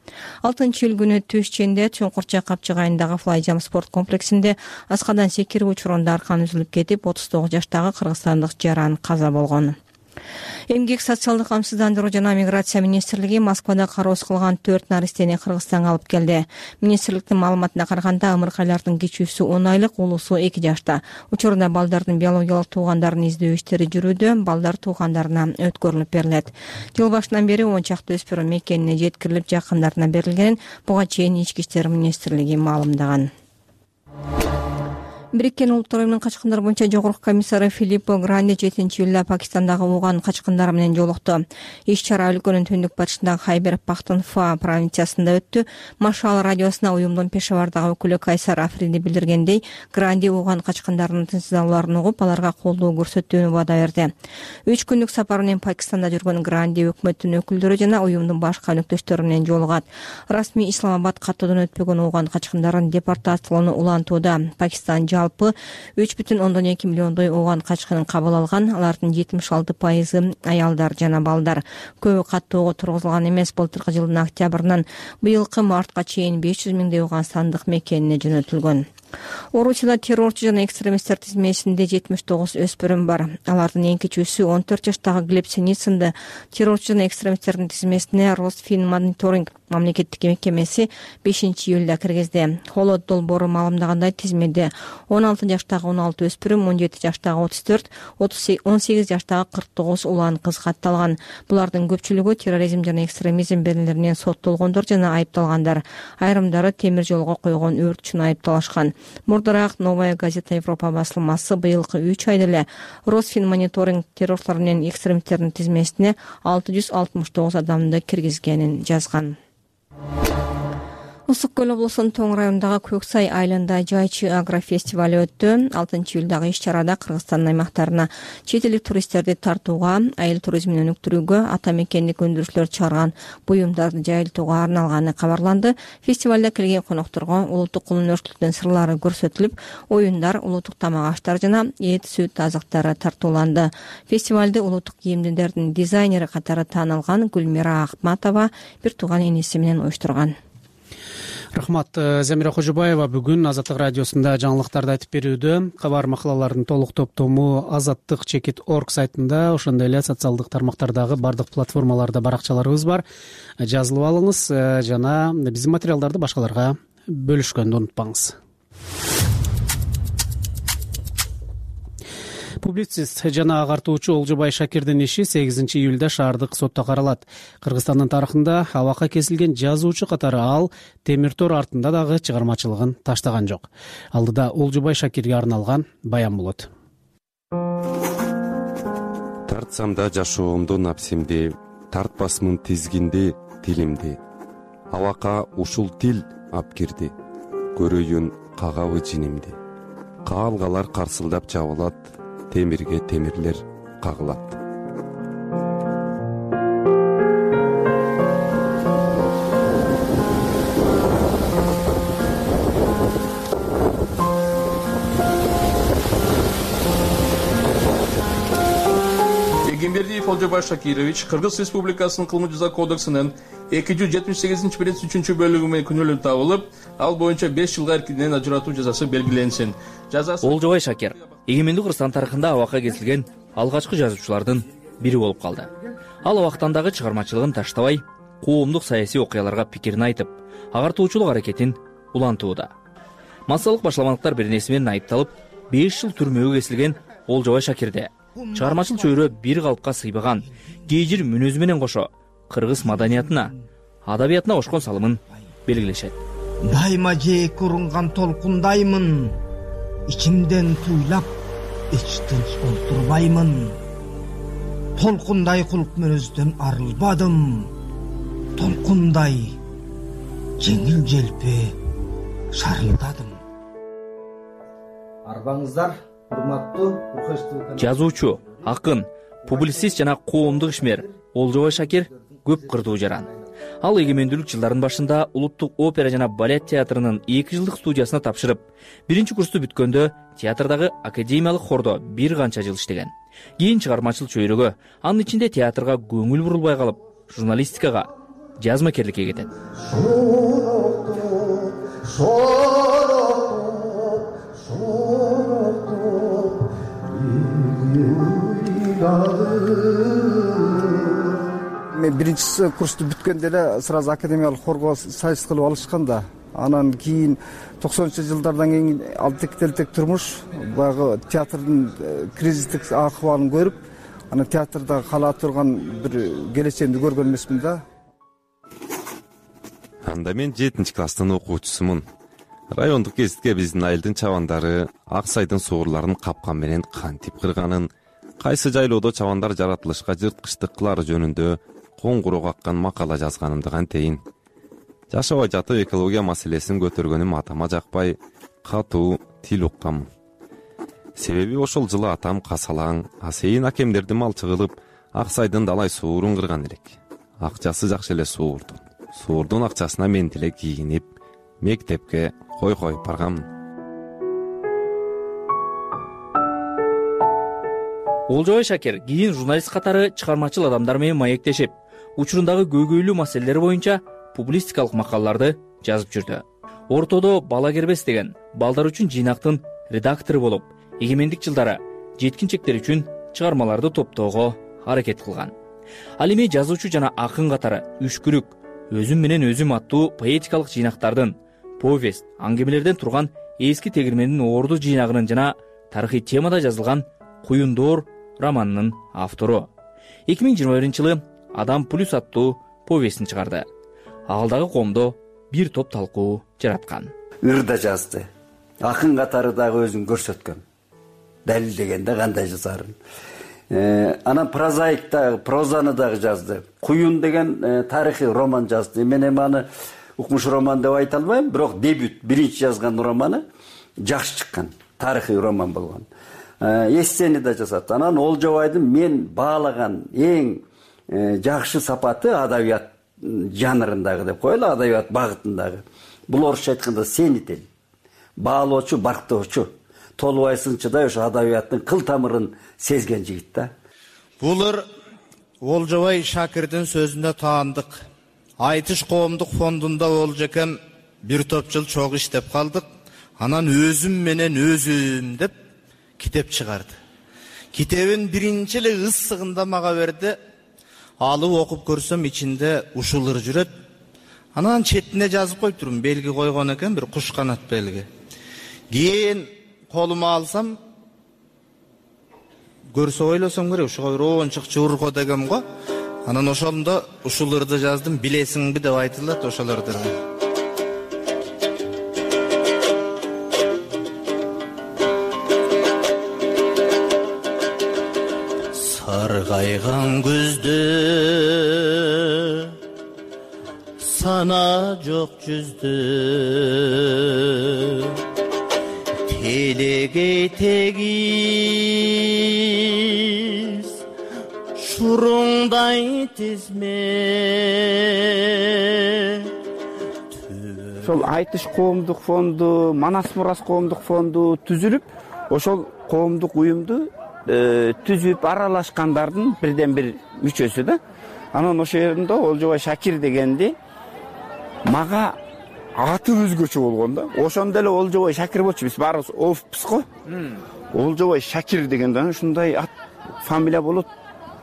6-июль күнү түш ченде Чуңкурча Капчыгайындагы Fly Jump спорт комплексинде Аскадан секирүү учурунда аркан үзүлүп кетип, 39 жаштагы кыргызстандык жаран каза болгон. Эмгек социалдык камсыздандыруу жана миграция министрлиги Москвада кароосу кылган 4 наристени Кыргызстанга алып келди. Министрликтин маалыматына караганда ымыркайлардын кичүүсү 10 айлык, улуусу 2 жашта. Учурда балдардын биологиялык туугандарын издөө иштери жүрүүдө, балдар туугандарына өткөрүлүп берилет. Жыл башынан бери 10 чакты өспүрүм мекенине жеткирилип, жакындарына берилгенин буга чейин Ички иштер министрлиги маалымдаган. Бириккен Улуттар Уюмунун качкындар боюнча жогорку комиссары Филиппо Гранди 7-июлда Пакистандагы Уган качкындары менен жолукту. Иш-чара өлкөнүн түндүк батышындагы Хайбер Пахтунхва провинциясында өттү. Машал радиосуна уюмдун Пешавардагы өкүлү Кайсар Африди билдиргендей, Гранди Уган качкындарынын тынчсыздалууларын угуп, аларга колдоо көрсөтүүнү ваада берди. 3 күндүк сапар менен Пакистанда жүргөн Гранди өкмөттүн өкүлдөрү жана уюмдун башка өнөктөштөрү менен жолугат. Расмий Исламабад каттоодон өтпөгөн Уган качкындарын депортациялоону улантууда. Пакистан 3,2 миллиондой Уган качкынын кабыл алган. Алардын 76% аялдар жана балдар. Көбү каттоого тургузулган эмес. Былтыркы жылдын октябрынан быйылкы мартка чейин 500 миңдей Уганстандык мекенине жөнөтүлгөн. Орусияда террорчу жана экстремисттер тизмесинде 79 өспүрүм бар. Алардын эң кичүүсү 14 жаштагы Глеб Синицынды террорчу жана экстремисттердин тизмесине Росфинмониторинг мамлекеттик мекемеси 5-июлда киргизди. Холод долбоору маалымдагандай, тизмеде 16 жаштагы 16 өспүрүм, 17 жаштагы 34, 18 жаштагы 49 улан кыз катталган. Булардын көпчүлүгү терроризм жана экстремизм берилеринен соттолгондор жана айыпталгандар. Айрымдары темир жолго койгон өрт үчүн айыпталышкан. Мурдараак Новая газета Европа басылмасы быйылкы 3 айда эле Росфинмониторинг террорчулар менен экстремисттердин тизмесине 669 адамды киргизгенин жазган. Ысык көл облусунун Тоң районундагы Көксай айылында жайчы агрофестиваль өттү. 6-июлдагы иш-чарада Кыргызстандын аймактарына чет элдик туристтерди тартууга, айыл туризмин өнүктүрүүгө ата мекендик өндүрүүчүлөр чыгарган буюмдарды жайылтууга арналганы кабарланды. Фестивалда келген конокторго улуттук кулунөрчүлүктүн сырлары көрсөтүлүп, оюндар, улуттук тамак аштар жана эт, сүт азыктары тартууланды. Фестивалды улуттук кийимдердин дизайнери катары таанылган Гүлмира Акматова бир тууган иниси менен уюштурган. Рахмат, Замира Кожобаева бүгүн Азаттык радиосунда жаңылыктарды айтып берүүдө. Кабар макалалардын толук топтому Азаттык Чекит.org сайтында, ошондой эле социалдык тармактардагы бардык платформаларда баракчаларыбыз бар. Жазылып алыңыз жана биздин материалдарды башкаларга бөлүшкөндү унутпаңыз. Публицист жана агартуучу Олжобай Шакирдин иши 8-июлда шаардык сотто каралат. Кыргызстандын тарыхында абакка кесилген жазуучу катары ал темир тор артында дагы чыгармачылыгын таштаган жок. Алдыда Олжобай Шакирге арналган баян болот. Тартсам да жашоомду напсимди, тартпасмын тизгинди тилимди. абакка ушул тил ап кирди. Көрөйүн кагабы жинимди. Каалгалар карсылдап чабылат, темирге темирлер кагылат. Эгембердиев Олжобай Шакирович Кыргыз Республикасынын кылмыш жаза кодексинин 278-3 бөлүгү менен күнөөлүү табылып, ал боюнча 5 жылга эркинен ажыратуу жазасы белгиленсин. Олжобай Шакир эгемендүү Кыргызстан тарыхында абакка кесилген алгачкы жазуучулардын бири болуп калды. Ал абактан дагы чыгармачылыгын таштабай, коомдук саясий окуяларга пикирин айтып, агартуучулук аракетин улантууда. Массалык башламалыктар беренеси менен айыпталып, 5 жыл түрмөгө кесилген Олжобай Шакирде чыгармачыл чөйрө бир калыпка сыйбаган, кейжир мүнөзү менен кошо кыргыз маданиятына, адабиятына кошкон салымын белгилешет. Дайыма жээкке урунган толкундаймын, ичимден туйлап, эч тынч олтурбаймын. Толкундай кулк мүнөздөн арылбадым, толкундай жеңил желпи шарылдадым. Арбаңыздар, урматтуу жазуучу, акын, публицист жана коомдук ишмер Олжобай Шакир көп кырдуу жаран. Ал эгемендүүлүк жылдарынын башында Улуттук опера жана балет театрынын 2 жылдык студиясына тапшырып, 1-курсту бүткөндө театрдагы академиялык хордо бир канча жыл иштеген. Кийин чыгармачыл чөйрөгө, анын ичинде театрга көңүл бурулбай калып, журналистикага, жазмакерликке кетет. Мен 1-курсту бүткөндө эле сразу академиялык хорго сайыс кылып алышкан да. Анан кийин 90-жылдардан кийин ал тектелтек турмуш баягы театрдын кризистик акыбалын көрүп, анан театрда кала турган бир келечегимди көргөн эмесмин да. Анда мен 7-класстын окуучусумун. Райондук гезитке биздин айылдын чабандары ак сайдын суурларын капкан менен кантип кырганын, кайсы жайлоодо чабандар жаратылышка жырткычтык жөнүндө коңгуроо каккан макала жазганымды кантейин. Жашабай жатып экология маселесин көтөргөнүм атама жакпай, катуу тил уккам. Себеби ошол жылы атам касалаң, асейин акемдерди малчы кылып, ак сайдын далай суурун кырган элек. Акчасы жакшы эле суурдун. Суурдун акчасына мен деле кийинип, мектепке койгоюп баргаммын. Олжобай Шакир кийин журналист катары чыгармачыл адамдар менен маектешип, учурундагы көйгөйлүү маселелер боюнча публистикалык макалаларды жазып жүрдү. Ортодо Бала кербес деген балдар үчүн жыйнактын редактору болуп, эгемендик жылдары жеткинчектер үчүн чыгармаларды топтоого аракет кылган. Ал эми жазуучу жана акын катары Үшкүрүк, Өзүм менен өзүм аттуу поэтикалык жыйнактардын, повесть, аңгемелерден турган эски тегирмендин орду жыйнагынын жана тарыхый темада жазылган Куюндор романынын автору. 2021-жылы Адам плюс аттуу повестин чыгарды. Агылдагы коомдо бир топ талкуу жараткан. Ырда жазды. Акын катары дагы өзүн көрсөткөн. Далилдегенде кандай жазарын. Анан прозаикта прозаны дагы жазды. Куюн деген тарыхый роман жазды. Мен эми аны укмуш роман деп айта албайм, бирок дебют, биринчи жазган романы жакшы чыккан. Тарыхый роман болгон. Эссени да жазат. Анан Олжобайдын мен баалаган эң жакшы сапаты адабият жанрындагы деп коелу, адабият багытындагы. Бул орусча айтканда сенител. Баалоочу, барктоочу. Толубай сынчыдай ошо адабияттын кыл тамырын сезген жигит да. Булар Олжобай Шакирдин сөзүнө таандык. Айтыш коомдук фондунда Олжекем бир топ жыл чогуу иштеп калдык. Анан өзүм менен өзүм деп китеп чыгарды. Китебин биринчи эле ысыгында мага берди. Алып окуп көрсөм ичинде ушулар жүрөт. Анан четине жазып коюптурмун, белги койгон экен, бир куш канат белги. Кийин колума алсам, көрсө ойлосом керек, ушуга рончук чурко дегем го. Анан ошондо ушуларды жаздым, билесиңби деп айтылат ошолорду. Саргайган күздө сана жок жүздө телегей тегиз шуруңдай тизме. Ошол Айтыш коомдук фонду, Манас Мурас коомдук фонду түзүлүп, ошол коомдук уюмду түзүп аралашкандардын бирден бир мүчөсү да. Анан ошол жеринде Олжобай Шакир дегенди мага аты өзгөчө болгон да. Ошондо эле Олжобай Шакир болчу, биз баарыбыз офпуз го. Олжобай Шакир дегенде ушундай ат фамилия болот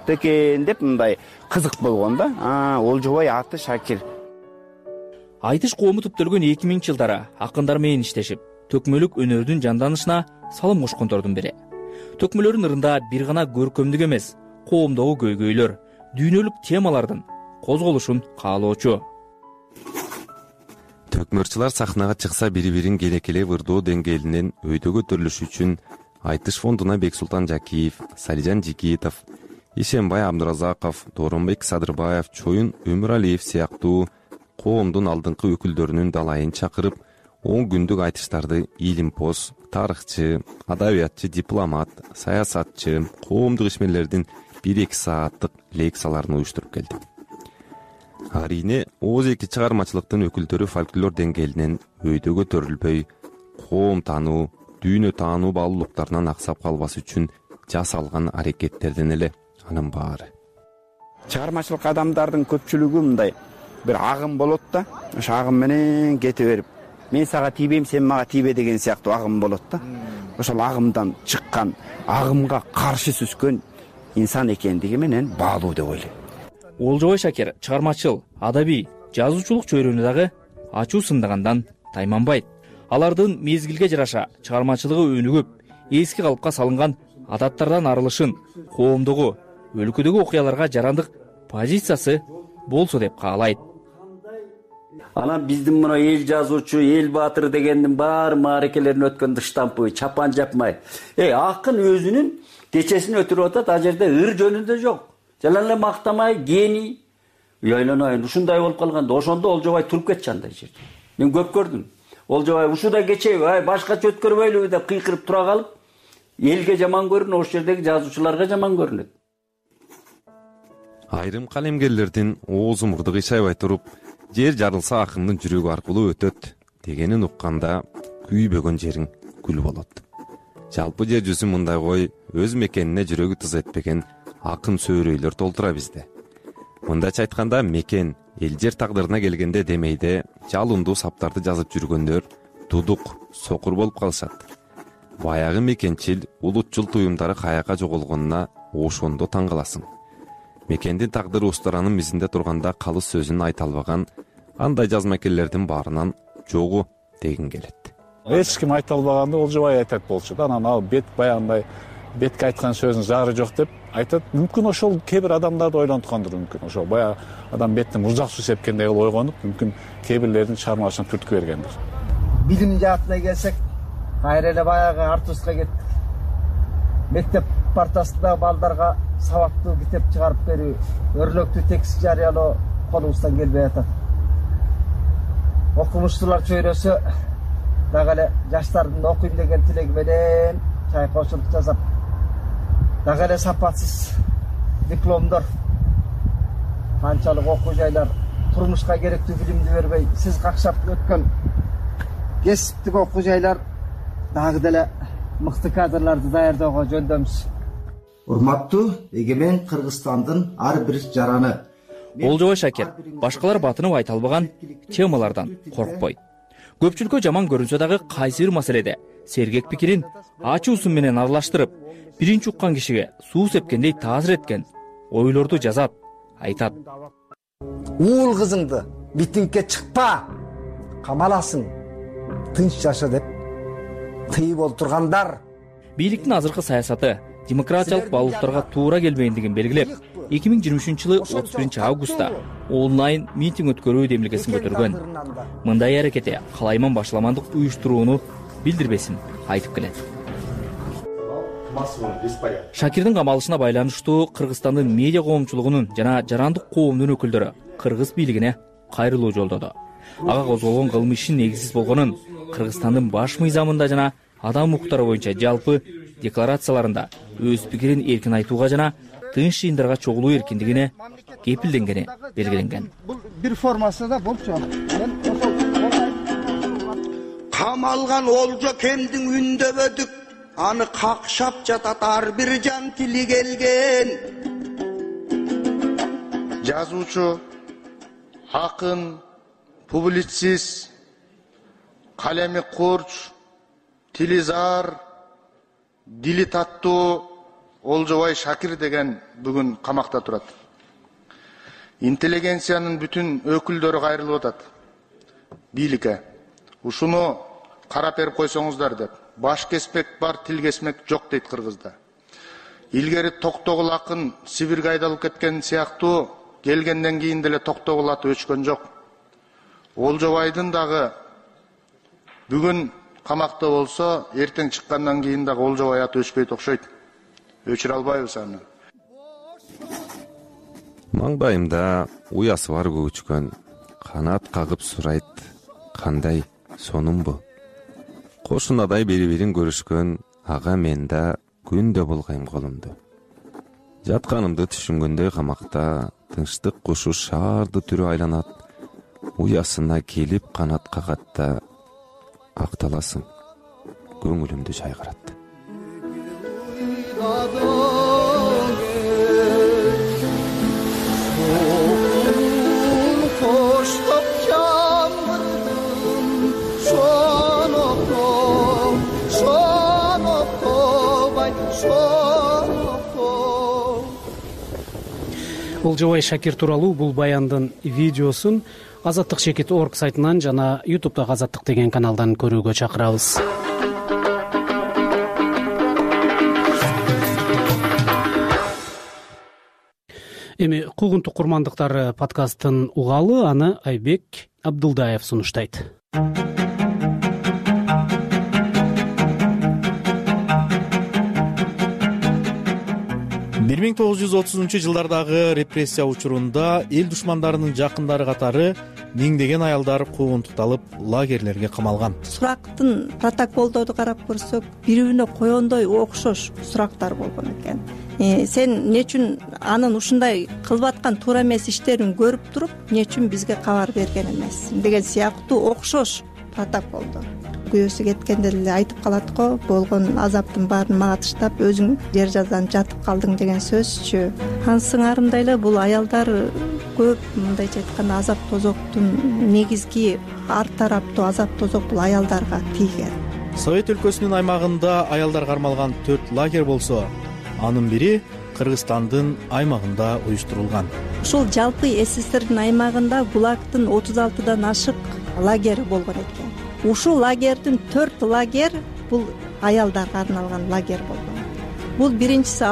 экен деп мындай кызык болгон да. Олжобай аты Шакир. Айтыш коому түптөлгөн 2000-жылдары акындар менен иштешип, төкмөлүк өнөрдүн жанданышына салым кошкондордун бири. Төкмөлөрдүн ырында бир гана көркөмдүк эмес, коомдогу көйгөйлөр, дүйнөлүк темалардын козголушун каалоочу. Төкмөрчүлөр сахнага чыкса бири-бирин келекелеп ырдоо деңгээлинен өйдө көтөрүлүш үчүн Айтыш фондуна Бексултан Жакиев, Салижан Жигитов, Ишенбай Абдуразаков, Дооронбек Садырбаев, Чоюн Өмүралиев сыяктуу коомдун алдыңкы өкүлдөрүнүн далайын чакырып, 10 күндүк айтыштарды илимпоз, тарыхчы, адабиятчы, дипломат, саясатчы, коомдук ишмерлердин 1-2 сааттык лекцияларын уюштуруп келди. Арине ооз-эки чыгармачылыктын өкүлдөрү фольклор деңгээлинен өйдө көтөрүлбөй, коом таануу, дүйнө таануу баалуулуктарынан аксап калбас үчүн жасалган аракеттерден эле анын баары. Чыгармачылык адамдардын көпчүлүгү мындай бир агым болот да. Ошо агым менен кете берип, мен сага тийбейм, сен мага тийбе деген сыяктуу агым болот да. Ошол агымдан чыккан, агымга каршы сүзгөн инсан экендиги менен баалуу деп ойлойм. Олжобай Шакир чыгармачыл, адабий, жазуучулук чөйрөнү дагы ачуу сындагандан тайманбайт. Алардын мезгилге жараша чыгармачылыгы өнүгүп, эски калыпка салынган адаттардан арылышын, коомдогу, өлкөдөгү окуяларга жарандык позициясы болсо деп каалайт. Анан биздин мына эл жазуучу, эл баатыры дегендин баары мааракелерин өткөндө штампы, чапан жапмай. Акын өзүнүн кечесин өтүрүп атат, а жерде ыр жөнүндө жок. Жана эле мактамай, гений. Ойлонойн, ушундай болуп калганда, ошондо Олжобай туруп кетчү андай жерде. Мен көп көрдүм. Олжобай ушуда кечеби, башкача өткөрбөйлүбү деп кыйкырып тура калып, элге жаман көрүнөт, ошол жердеги жазуучуларга жаман көрүнөт. Айрым калемгерлердин оозу мурду кыйшайбай туруп, жер жарылса акындын жүрөгү аркылуу өтөт дегенин укканда күйбөгөн жериң күл болот. Жалпы жер жүзүн мындай кой өз мекенине жүрөгү тыз этпеген акын сөөрөйлөр толтура бизде. Мындайча айтканда, мекен эл жер тагдырына келгенде демейде жалындуу саптарды жазып жүргөндөр дудук, сокур болуп калышат. Баягы мекенчил, улутчул туюмдары каяка жоголгонуна ошондо таң каласың. Мекендин тагдыры устанын мизинде турганда калыс сөзүн айта албаган андай жазмакерлердин баарынан жогу дегин келет. Эч ким айта албаганды Олжобай айтат болчу да. Анан ал баягындай бетке айткан сөзүнүн зары жок деп айтат. Мүмкүн ошол кээ бир адамдарды ойлонткондур, мүмкүн ошол баягы адам беттен мурзак суу сепкендей кылып ойгонуп, мүмкүн кээ бирлердин чыгармачылыгын түрткү бергендир. Билим жаатына келсек, кайра эле баягы артустка кеттик. Мектеп партасында балдарга сабактуу китеп чыгарып берүү, өрлөктүү текст жарыялоо колубуздан келбей атат. Окумуштуулар чөйрөсү дагы эле жаштардын окуйм деген тилеги менен чайкоочулук жасап, дагы эле сапатсыз дипломдор, канчалык окуу жайлар турмушка керектүү билимди бербей, сиз какшап өткөн кесиптик окуу жайлар дагы деле мыкты кадрларды даярдөөгө жөндөмүз. Урматтуу эгемен Кыргызстандын ар бир жараны. Олжобай Шакир башкалар батынып айта албаган темалардан коркпойт. Көпчүлүккө жаман көрүнсө дагы кайсы бир маселеде сергек пикирин ачуусу менен аралаштырып, биринчи уккан кишиге суу сепкендей таасир эткен ойлорду жазат, айтат. Уул кызыңды митингге чыкпа, камаласың, тынч жаша деп тыйып олтургандар. Бийликтин азыркы саясаты демократиялык баалуулуктарга туура келбегендигин белгилеп, 2023-жылы 31-августта онлайн митинг өткөрүү демилгесин көтөргөн. Мындай аракети калайман башламандык уюштурууну билдирбесин айтып келет. Шакирдин камалышына байланыштуу Кыргызстандын медиа коомчулугунун жана жарандык коомдун өкүлдөрү кыргыз бийлигине кайрылуу жолдоду. Ага козголгон кылмыш ишин негизсиз болгонун, Кыргызстандын баш мыйзамында жана адам укуктары боюнча жалпы декларацияларында өз пикирин эркин айтууга жана тынч жыйындарга чогулуу эркиндигине кепилденгени белгиленген. Бул бир формасы да болчу. Камалган Олжо Кемдин үндөбөдүк аны какшап жатат ар бир жан тили келген. Жазуучу, акын, публицист, калеми курч, тилизар, дили таттуу Олжобай Шакир деген бүгүн камакта турат. Интеллигенциянын бүтүн өкүлдөрү кайрылып атат. Бийликке ушуну карап берип койсоңуздар деп. Баш кеспек бар, тил кесмек жок дейт кыргызда. Илгери Токтогул акын Сибирге айдалып кеткен сыяктуу келгенден кийин деле Токтогул аты өчкөн жок. Олжобайдын дагы бүгүн камакта болсо, эртең чыккандан кийин дагы Олжобай аты өчпөйт окшойт. Өчүрө албайбыз аны. Маңдайымда уясы бар көчкөн, канат кагып сурайт, кандай сонун бу? Кошунадай бири-бирин көрүшкөн, ага мен да күндө булгайм колумду. Жатканымды түшүнгөндөй камакта тынчтык кушу шаарды түрү айланат, уясына келип канат кагатта акталасың, көңүлүмдү жайгарат. Олжобай Шакир тууралуу бул баяндын видеосун Азаттык Шекит.org сайтынан жана YouTube'дагы Азаттык деген каналдан көрүүгө чакырабыз. Эми куугунтук курмандыктары подкастын угалы, аны Айбек Абдылдаев сунуштайт. 1930-жылдардагы репрессия учурунда эл душмандарынын жакындары катары миңдеген аялдар куугунтукталып лагерлерге камалган. Сурактын протоколдорду карап көрсөк, бири-бирине койгондой окшош сурактар болгон экен. Сен эмне үчүн анын ушундай кылып аткан туура эмес иштерин көрүп туруп, эмне үчүн бизге кабар берген эмес деген сыяктуу окшош протоколдор. Күйөөсү кеткенде эле айтып калат го, болгон азаптын баарын мага таштап, өзүң жер жаздан жатып калдың деген сөзчү. Сыңарымдай эле бул аялдар көп мындайча айтканда азап тозоктун негизги ар тараптуу азап тозок бул аялдарга тийген. Совет өлкөсүнүн аймагында аялдар кармалган 4 лагерь болсо, анын бири Кыргызстандын аймагында уюштурулган. Ушул жалпы СССРдин аймагында ГУЛАГтын 36дан ашык лагери болгон экен. Ушул лагердин 4 лагерь бул аялдарга арналган лагерь болгон. Бул биринчиси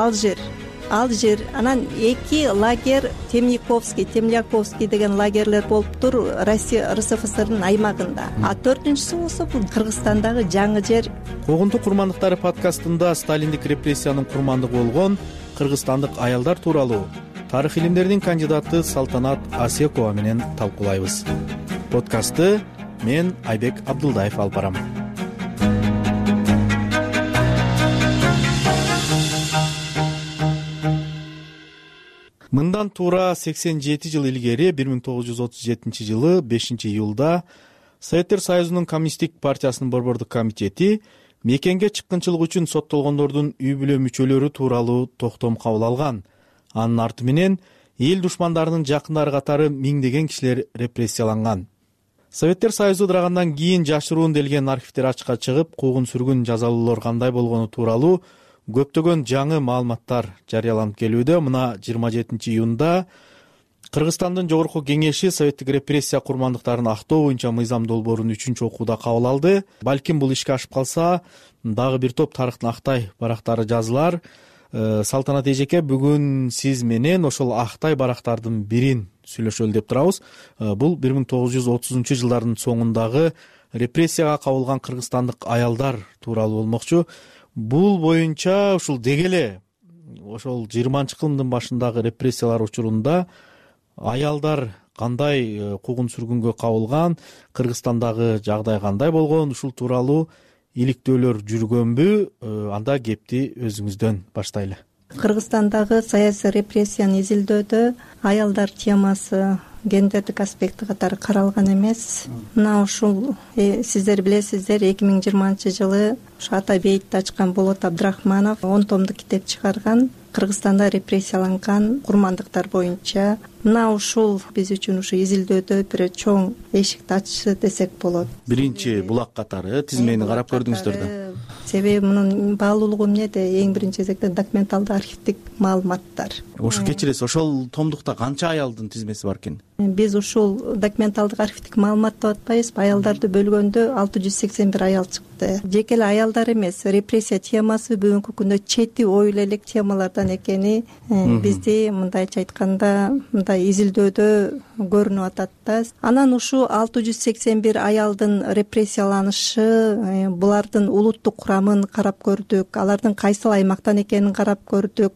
Алжир, анан 2 лагерь Темляковский деген лагерлер болуптур Россия РСФСРдын аймагында. А 4-үнчүсү болсо бул Кыргызстандагы жаңы жер. Куугунтук курмандыктары подкастында сталиндик репрессиянын курмандыгы болгон кыргызстандык аялдар тууралуу тарых илимдеринин кандидаты Салтанат Асекова менен талкуулайбыз. Подкастты мен Айбек Абдылдаев алып барам. Мындан туура 87 жыл илгери 1937 жылы 5-июлда Советтер Союзунун Коммунисттик партиясынын борбордук комитети мекенге чыккынчылык үчүн соттолгондордун үй бүлө мүчөлөрү тууралуу токтом кабыл алган. Анын арты менен эл душмандарынын жакындары катары миңдеген кишилер репрессияланган. Советтер Союзу ыдырагандан кийин жашыруун делген архивдер ачыкка чыгып, куугун сүргүн жазалуулар кандай болгону тууралуу көптөгөн жаңы маалыматтар жарыяланып келүүдө. Мына 27 июнда Кыргызстандын Жогорку Кеңеши советтик репрессия курмандыктарын актоо боюнча мыйзам долбоорун 3-окууда кабыл алды. Балким бул ишке ашып калса, дагы бир топ тарыхтын актай барактары жазылар. Салтанат эжеке, бүгүн сиз менен ошол актай барактардын бирин сүйлөшөлү деп турабыз. Бул 1930-жылдардын соңундагы репрессияга кабылган кыргызстандык аялдар тууралуу болмокчу. Бул боюнча ушул дегеле ошол 20-кылымдын башындагы репрессиялар учурунда аялдар кандай куугун-сүргүнгө кабылган, Кыргызстандагы жагдай кандай болгон, ушул тууралуу иликтөөлөр жүргөнбү? Анда кепти өзүңүздөн баштайлы. Кыргызстандагы саясий репрессияны изилдөөдө аялдар темасы гендердик аспекти катары каралган эмес. Мына ушул сиздер билесиздер, 2020-жылы ушу ата бейитти ачкан Болот Абдрахманов 10 томдук китеп чыгарган, Кыргызстанда репрессияланган курмандыктар боюнча. Мына ушул биз үчүн ушу изилдөөдө бир чоң эшикти ачышы десек болот. Биринчи булак катары тизмени карап көрдүңүздөр да. Себеби мунун баалуулугу эмнеде? Эң биринчи кезекте документалдык архивдик маалыматтар. Ошо кечиресиз, ошол томдукта канча аялдын тизмеси бар экен? Биз ушул документалдык архивдик маалымат деп атпайбызбы? Аялдарды бөлгөндө 681 аял чыкты. Жеке эле аялдар эмес, репрессия темасы бүгүнкү күндө чети ойло элек темалардан экени бизди мындайча айтканда мындай изилдөөдө көрүнүп атат да. Анан ушу 681 аялдын репрессияланышы, булардын улуттук курамын карап көрдүк, алардын кайсыл аймактан экенин карап көрдүк.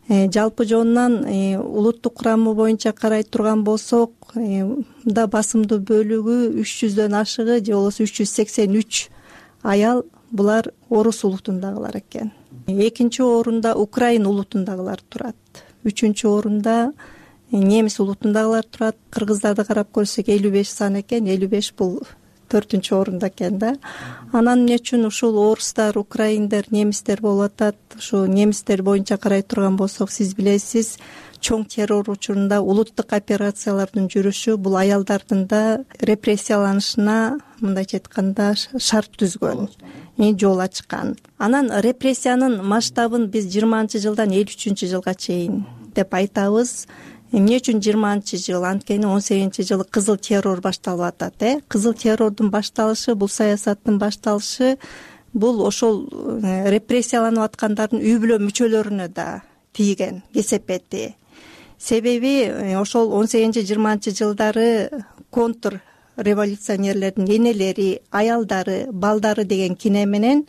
Жалпы жонунан улуттук курамы боюнча карай турган болсок, да басымдуу бөлүгү 300дөн ашыгы же болбосо 383 аял булар орус улутундагылар экен. Экинчи орунда украин улутундагылар турат. Үчүнчү орунда немис улутундагылар турат. Кыргыздарды карап көрсөк 55 сан экен, 55 бул 4-чү орунда экен да. Анан эмне үчүн ушул орустар, украиндер, немистер болуп атат? Ушу немистер боюнча карай турган болсок, сиз билесиз, чоң террор учурунда улуттук операциялардын жүрүшү бул аялдардын да репрессияланышына мындайча айтканда шарт түзгөн, жол ачкан. Анан репрессиянын масштабын биз 20-жылдан 53-жылга чейин деп айтабыз. Эмне үчүн 20-жыл? Анткени 18-жылы кызыл террор башталып атат. Кызыл террордун башталышы, бул саясаттын башталышы, бул ошол репрессияланып аткандардын үй бүлө мүчөлөрүнө да тийген кесепети. Себеби ошол 18-20 жылдары контр революционерлердин энелери, аялдары, балдары деген кине менен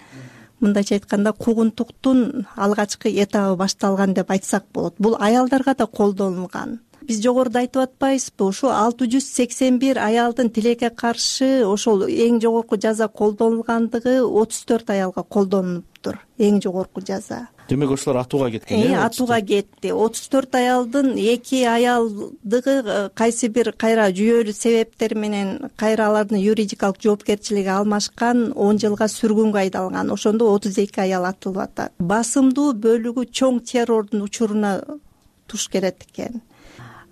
мындайча айтканда куугунтуктун алгачкы этабы башталган деп айтсак болот. Бул аялдарга да колдонулган. Биз жогоруда айтып атпайбызбы? Ушу 681 аялдын тилекке каршы ошол эң жогорку жаза колдонулгандыгы 34 аялга колдонулуптур. Эң жогорку жаза. Демек ошолор атууга кеткен. Атууга кетти. 34 аялдын 2 аялдыгы кайсы бир кайра жүйөлүү себептер менен кайра алардын юридикалык жоопкерчилиги алмашкан, 10 жылга сүргүнгө айдалган. Ошондо 32 аял атылып атат. Басымдуу бөлүгү чоң террордун учуруна туш келет экен.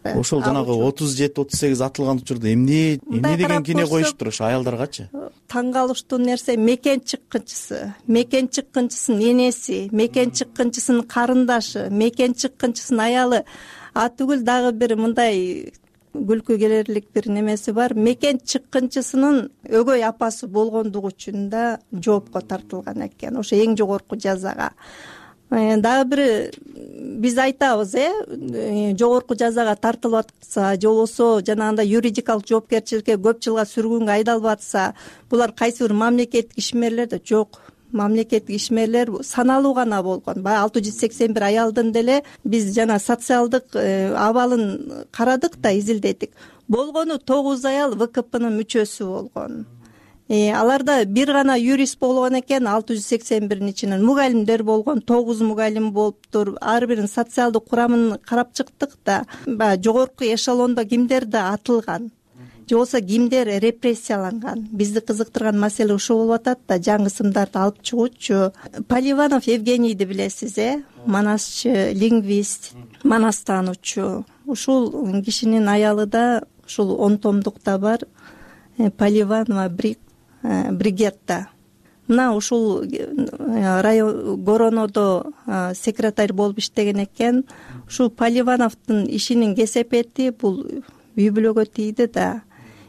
Ошол жанагы 37-38 атылган учурда эмне деген кине коюштур ошо аялдаргачы? Таң калыштуу нерсе мекен чыккынчысы, мекен чыккынчысынын энеси, мекен чыккынчысынын карындашы, мекен чыккынчысынын аялы. Түгүл дагы бир мындай күлкү келерлик бир немеси бар. Мекен чыккынчысынын өгөй апасы болгондугу үчүн да жоопко тартылган экен. Ошо эң жогорку жазага. Дагы бир биз айтабыз, жогорку жазага тартылып атса, же болбосо жанагындай юридикалык жоопкерчиликке көп жылга сүргүнгө айдалып атса, булар кайсы бир мамлекеттик ишмерлер да жок. Мамлекеттик ишмерлер саналуу гана болгон. Баягы 681 аялдын деле биз жана социалдык абалын карадык да, изилдедик. Болгону 9 аял ВКПнын мүчөсү болгон. Аларда бир гана юрист болгон экен, 681-ин ичинен мугалимдер болгон, 9 мугалим болуптур. Ар биринин социалдык курамын карап чыктык да, баягы жогорку эшелондо кимдер да атылган, же болбосо кимдер репрессияланган. Бизди кызыктырган маселе ушул болуп атат да, жаңы ысымдарды алып чыгуучу. Поливанов Евгенийди билесиз, манасчы, лингвист, манас таануучу. Ушул кишинин аялы да ушул 10 томдукта бар. Поливанова Бригетта. Мына ушул район Горонодо секретарь болуп иштеген экен. Ушул Поливановдун ишинин кесепети бул үй бүлөгө тийди да.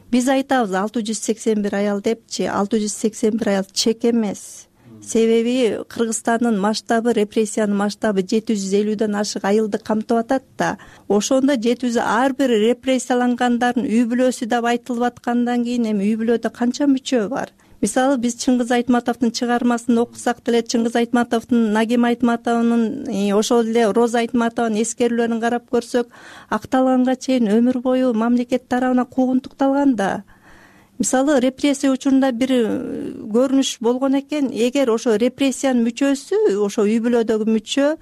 Биз айтабыз 681 аял депчи, 681 аял чек эмес. Себеби Кыргызстандын масштабы, репрессиянын масштабы 750дөн ашык айылды камтып атат да. Ошондо 700 ар бир репрессиялангандардын үй бүлөсү деп айтылып аткандан кийин эми үй бүлөдө канча мүчө бар? мисалы биз Чыңгыз Айтматовдун чыгармасын окусак деле, Чыңгыз Айтматовдун, Нагим Айтматовдун, ошол эле Роза Айтматованын эскерүүлөрүн карап көрсөк, акталганга чейин өмүр бою мамлекет тарабынан куугунтукталган да. Мисалы репрессия учурунда бир көрүнүш болгон экен, эгер ошо репрессиянын мүчөсү, ошо үй бүлөдөгү мүчө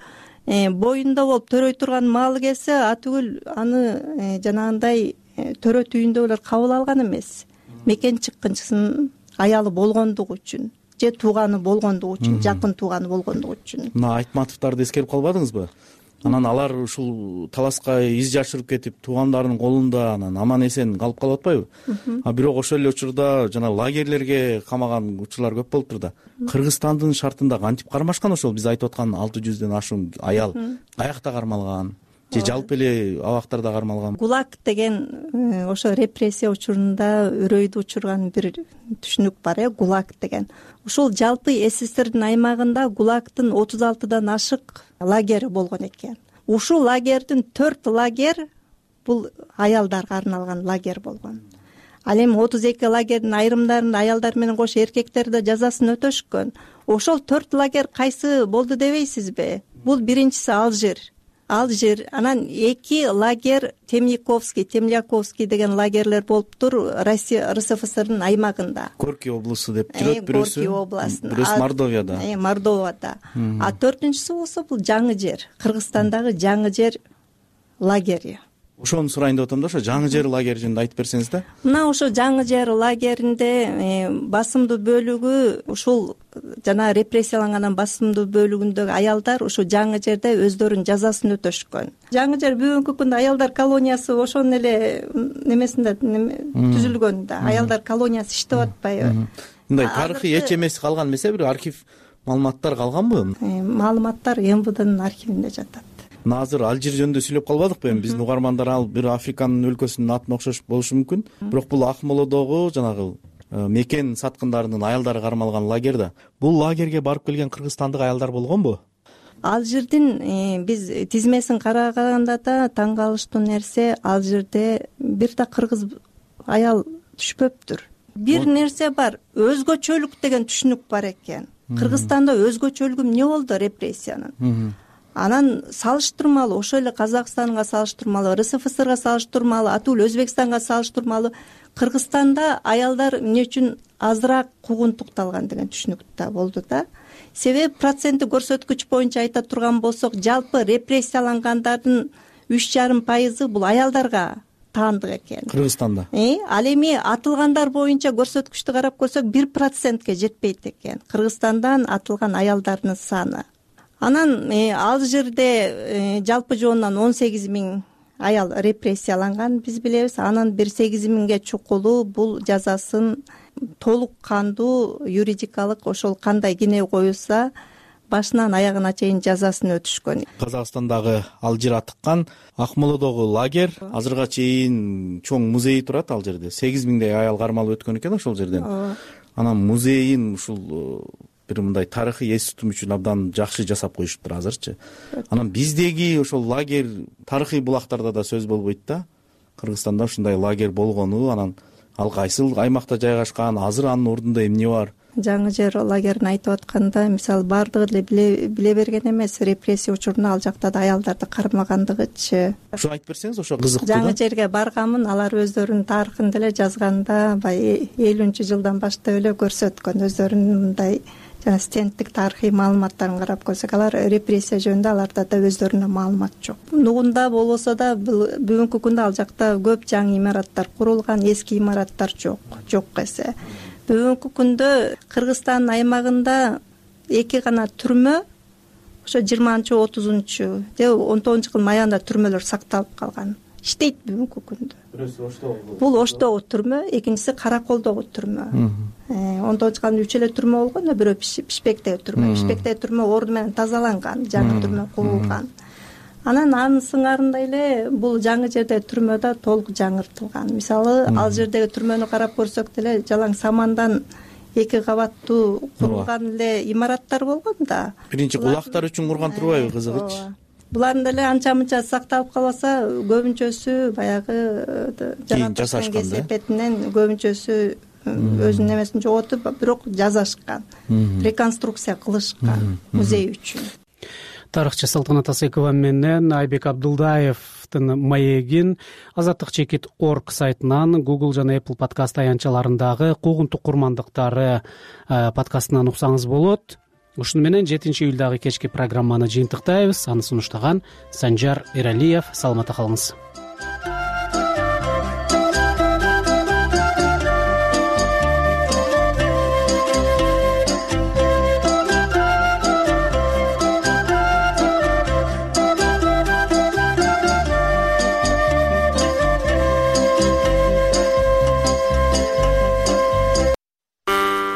боюнда болуп төрөй турган маалы келсе, атүгүл аны жанагындай төрө түйүндөгүлөр кабыл алган эмес. Мекен чыккынчысын аялы болгондугу үчүн же тууганы болгондугу үчүн, жакын тууганы болгондугу үчүн. Мына Айтматовдорду эскерип калбадыңызбы? Анан алар ушул таласка из жашырып кетип, туугандарынын колунда анан аман эсен калып калып атпайбы? А бирок ошол эле учурда жана лагерлерге камаган учурлар көп болуптур да. Кыргызстандын шартында кантип кармашкан ошол биз айтып аткан 600дөн ашуун аял каякта кармалган? Же жалпы эле абактарда кармалган? ГУЛАГ деген ошо репрессия учурунда үрөйдү учурган бир түшүнүк бар, ГУЛАГ деген. Ушул жалпы СССРдин аймагында ГУЛАГдын 36дан ашык лагери болгон экен. Ушул лагердин 4 лагер бул аялдарга арналган лагер болгон. Ал эми 32 лагердин айрымдарында аялдар менен кошо эркектер да жазасын өтөшкөн. Ошол 4 лагер кайсы болду дебейсизби? Бул биринчиси Алжир, анан 2 лагер Темляковский деген лагерлер болуптур Россия РСФСРдын аймагында. Горький облусу деп жүрөт бирөөсү. Горький областында. Бирөөсү Мордовияда. Мордовияда. А 4-үнчүсү болсо бул Жаңы жер, Кыргызстандагы Жаңы жер лагери. Ошону сурайын деп атам да, ошо Жаңы жер лагери жөнүндө айтып берсеңиз да. Мына ошо Жаңы жер лагеринде басымдуу бөлүгү ушул жана репрессиялангандан басымдуу бөлүгүндөгү аялдар ушу Жаңы жерде өздөрүнүн жазасын өтөшкөн. Жаңы жер бүгүнкү күндө аялдар колониясы ошонун эле немесинде түзүлгөн да. Аялдар колониясы иштеп атпайбы? Мындай тарыхый эч эмеси калган эмес, бир архив маалыматтар калганбы? Маалыматтар МВДнын архивинде жатат. Азыр Алжир жөнүндө сүйлөп калбадыкпы? Эми биздин угармандар ал бир Африканын өлкөсүнүн атына окшош болушу мүмкүн. Бирок бул Акмоладагы жанагы мекен саткындарынын аялдары кармалган лагер да. Бул лагерге барып келген кыргызстандык аялдар болгонбу? Алжирдин биз тизмесин караганда да таң калыштуу нерсе, Алжирде бир да кыргыз аял түшпөптүр. Бир нерсе бар, өзгөчөлүк деген түшүнүк бар экен. Кыргызстанда өзгөчөлүгү эмне болду репрессиянын? Анан салыштырмалуу, ошол эле Казакстанга салыштырмалуу, РСФСРга салыштырмалуу, атүгүл Өзбекстанга салыштырмалуу Кыргызстанда аялдар эмне үчүн азыраак куугунтукталган деген түшүнүк да болду да. Себеби проценти көрсөткүч боюнча айта турган болсок, жалпы репрессиялангандардын 3,5% бул аялдарга таандык экен. Кыргызстанда. Ал эми атылгандар боюнча көрсөткүчтү карап көрсөк 1%ге жетпейт экен. Кыргызстандан атылган аялдардын саны. Анан Алжирде жалпы жоонунан 18 000 аял репрессияланган биз билебиз. Анан бир 8 000ге чукулу бул жазасын толук кандуу юридикалык ошол кандай кине коюлса башынан аягына чейин жазасын өтүшкөн. Казакстандагы Алжир атыккан Акмоладагы лагер азырга чейин чоң музей турат ал жерде. 8 000дей аял кармалып өткөн экен ошол жерден. Анан музейин ушул бир мындай тарыхый эс тутум үчүн абдан жакшы жасап коюшуптур азырчы. Анан биздеги ошол лагер тарыхый булактарда да сөз болбойт да. Кыргызстанда ушундай лагер болгону, анан ал кайсыл аймакта жайгашкан, азыр анын ордунда эмне бар? Жаңы жер лагерин айтып атканда, мисалы баардыгы эле биле берген эмес, репрессия учурунда ал жакта да аялдарды кармагандыгычы. Ошо айтып берсеңиз, ошо кызыктуу. Жаңы жерге барганмын, алар өздөрүнүн тарыхын деле жазганда, баягы 50-жылдан баштап эле көрсөткөн өздөрүнүн мындай жана стендтик тарыхый маалыматтарын карап көрсөк, алар репрессия жөнүндө аларда да өздөрүнө маалымат жок. Нугунда болбосо да бүгүнкү күндө ал жакта көп жаңы имараттар курулган, эски имараттар жок эсе. Бүгүнкү күндө Кыргызстандын аймагында 2 гана түрмө, ошо 20-30 же 19-жылдын аягында түрмөлөр сакталып калган. Иштейт бүгүнкү күндө. Бирөөсү Оштогу. Бул Оштогу түрмө, экинчиси Караколдогу түрмө. 19-жылдын 3 эле түрмө болгон, бирөө Пишпектеги түрмө. Пишпектеги түрмө орду менен тазаланган, жаңы түрмө курулган. Анан анын сыңарында эле бул жаңы жерде түрмө да толук жаңыртылган. Мисалы, ал жердеги түрмөнү карап көрсөк деле жалаң самандан 2 кабаттуу курулган эле имараттар болгон да. Биринчи кулактар үчүн курган турбайбы, кызыгыч? Булардын деле анча-мынча сакталып калбаса, көбүнчөсү баягы кийин жасашкан да. Кесепетинен көбүнчөсү өзүнүн немесин жоготуп, бирок жасашкан, реконструкция кылышкан музей үчүн. Тарыхчы Салтанат Асекова менен Айбек Абдулдаевдин маегин azatlyk.org сайтынан, Google жана Apple подкаст аянтчаларындагы куугунтук курмандыктары подкастынан уксаңыз болот. Ушуну менен 7-июлдагы кечки программаны жыйынтыктайбыз. Аны сунуштаган Санжар Эралиев. Саламатта калыңыз.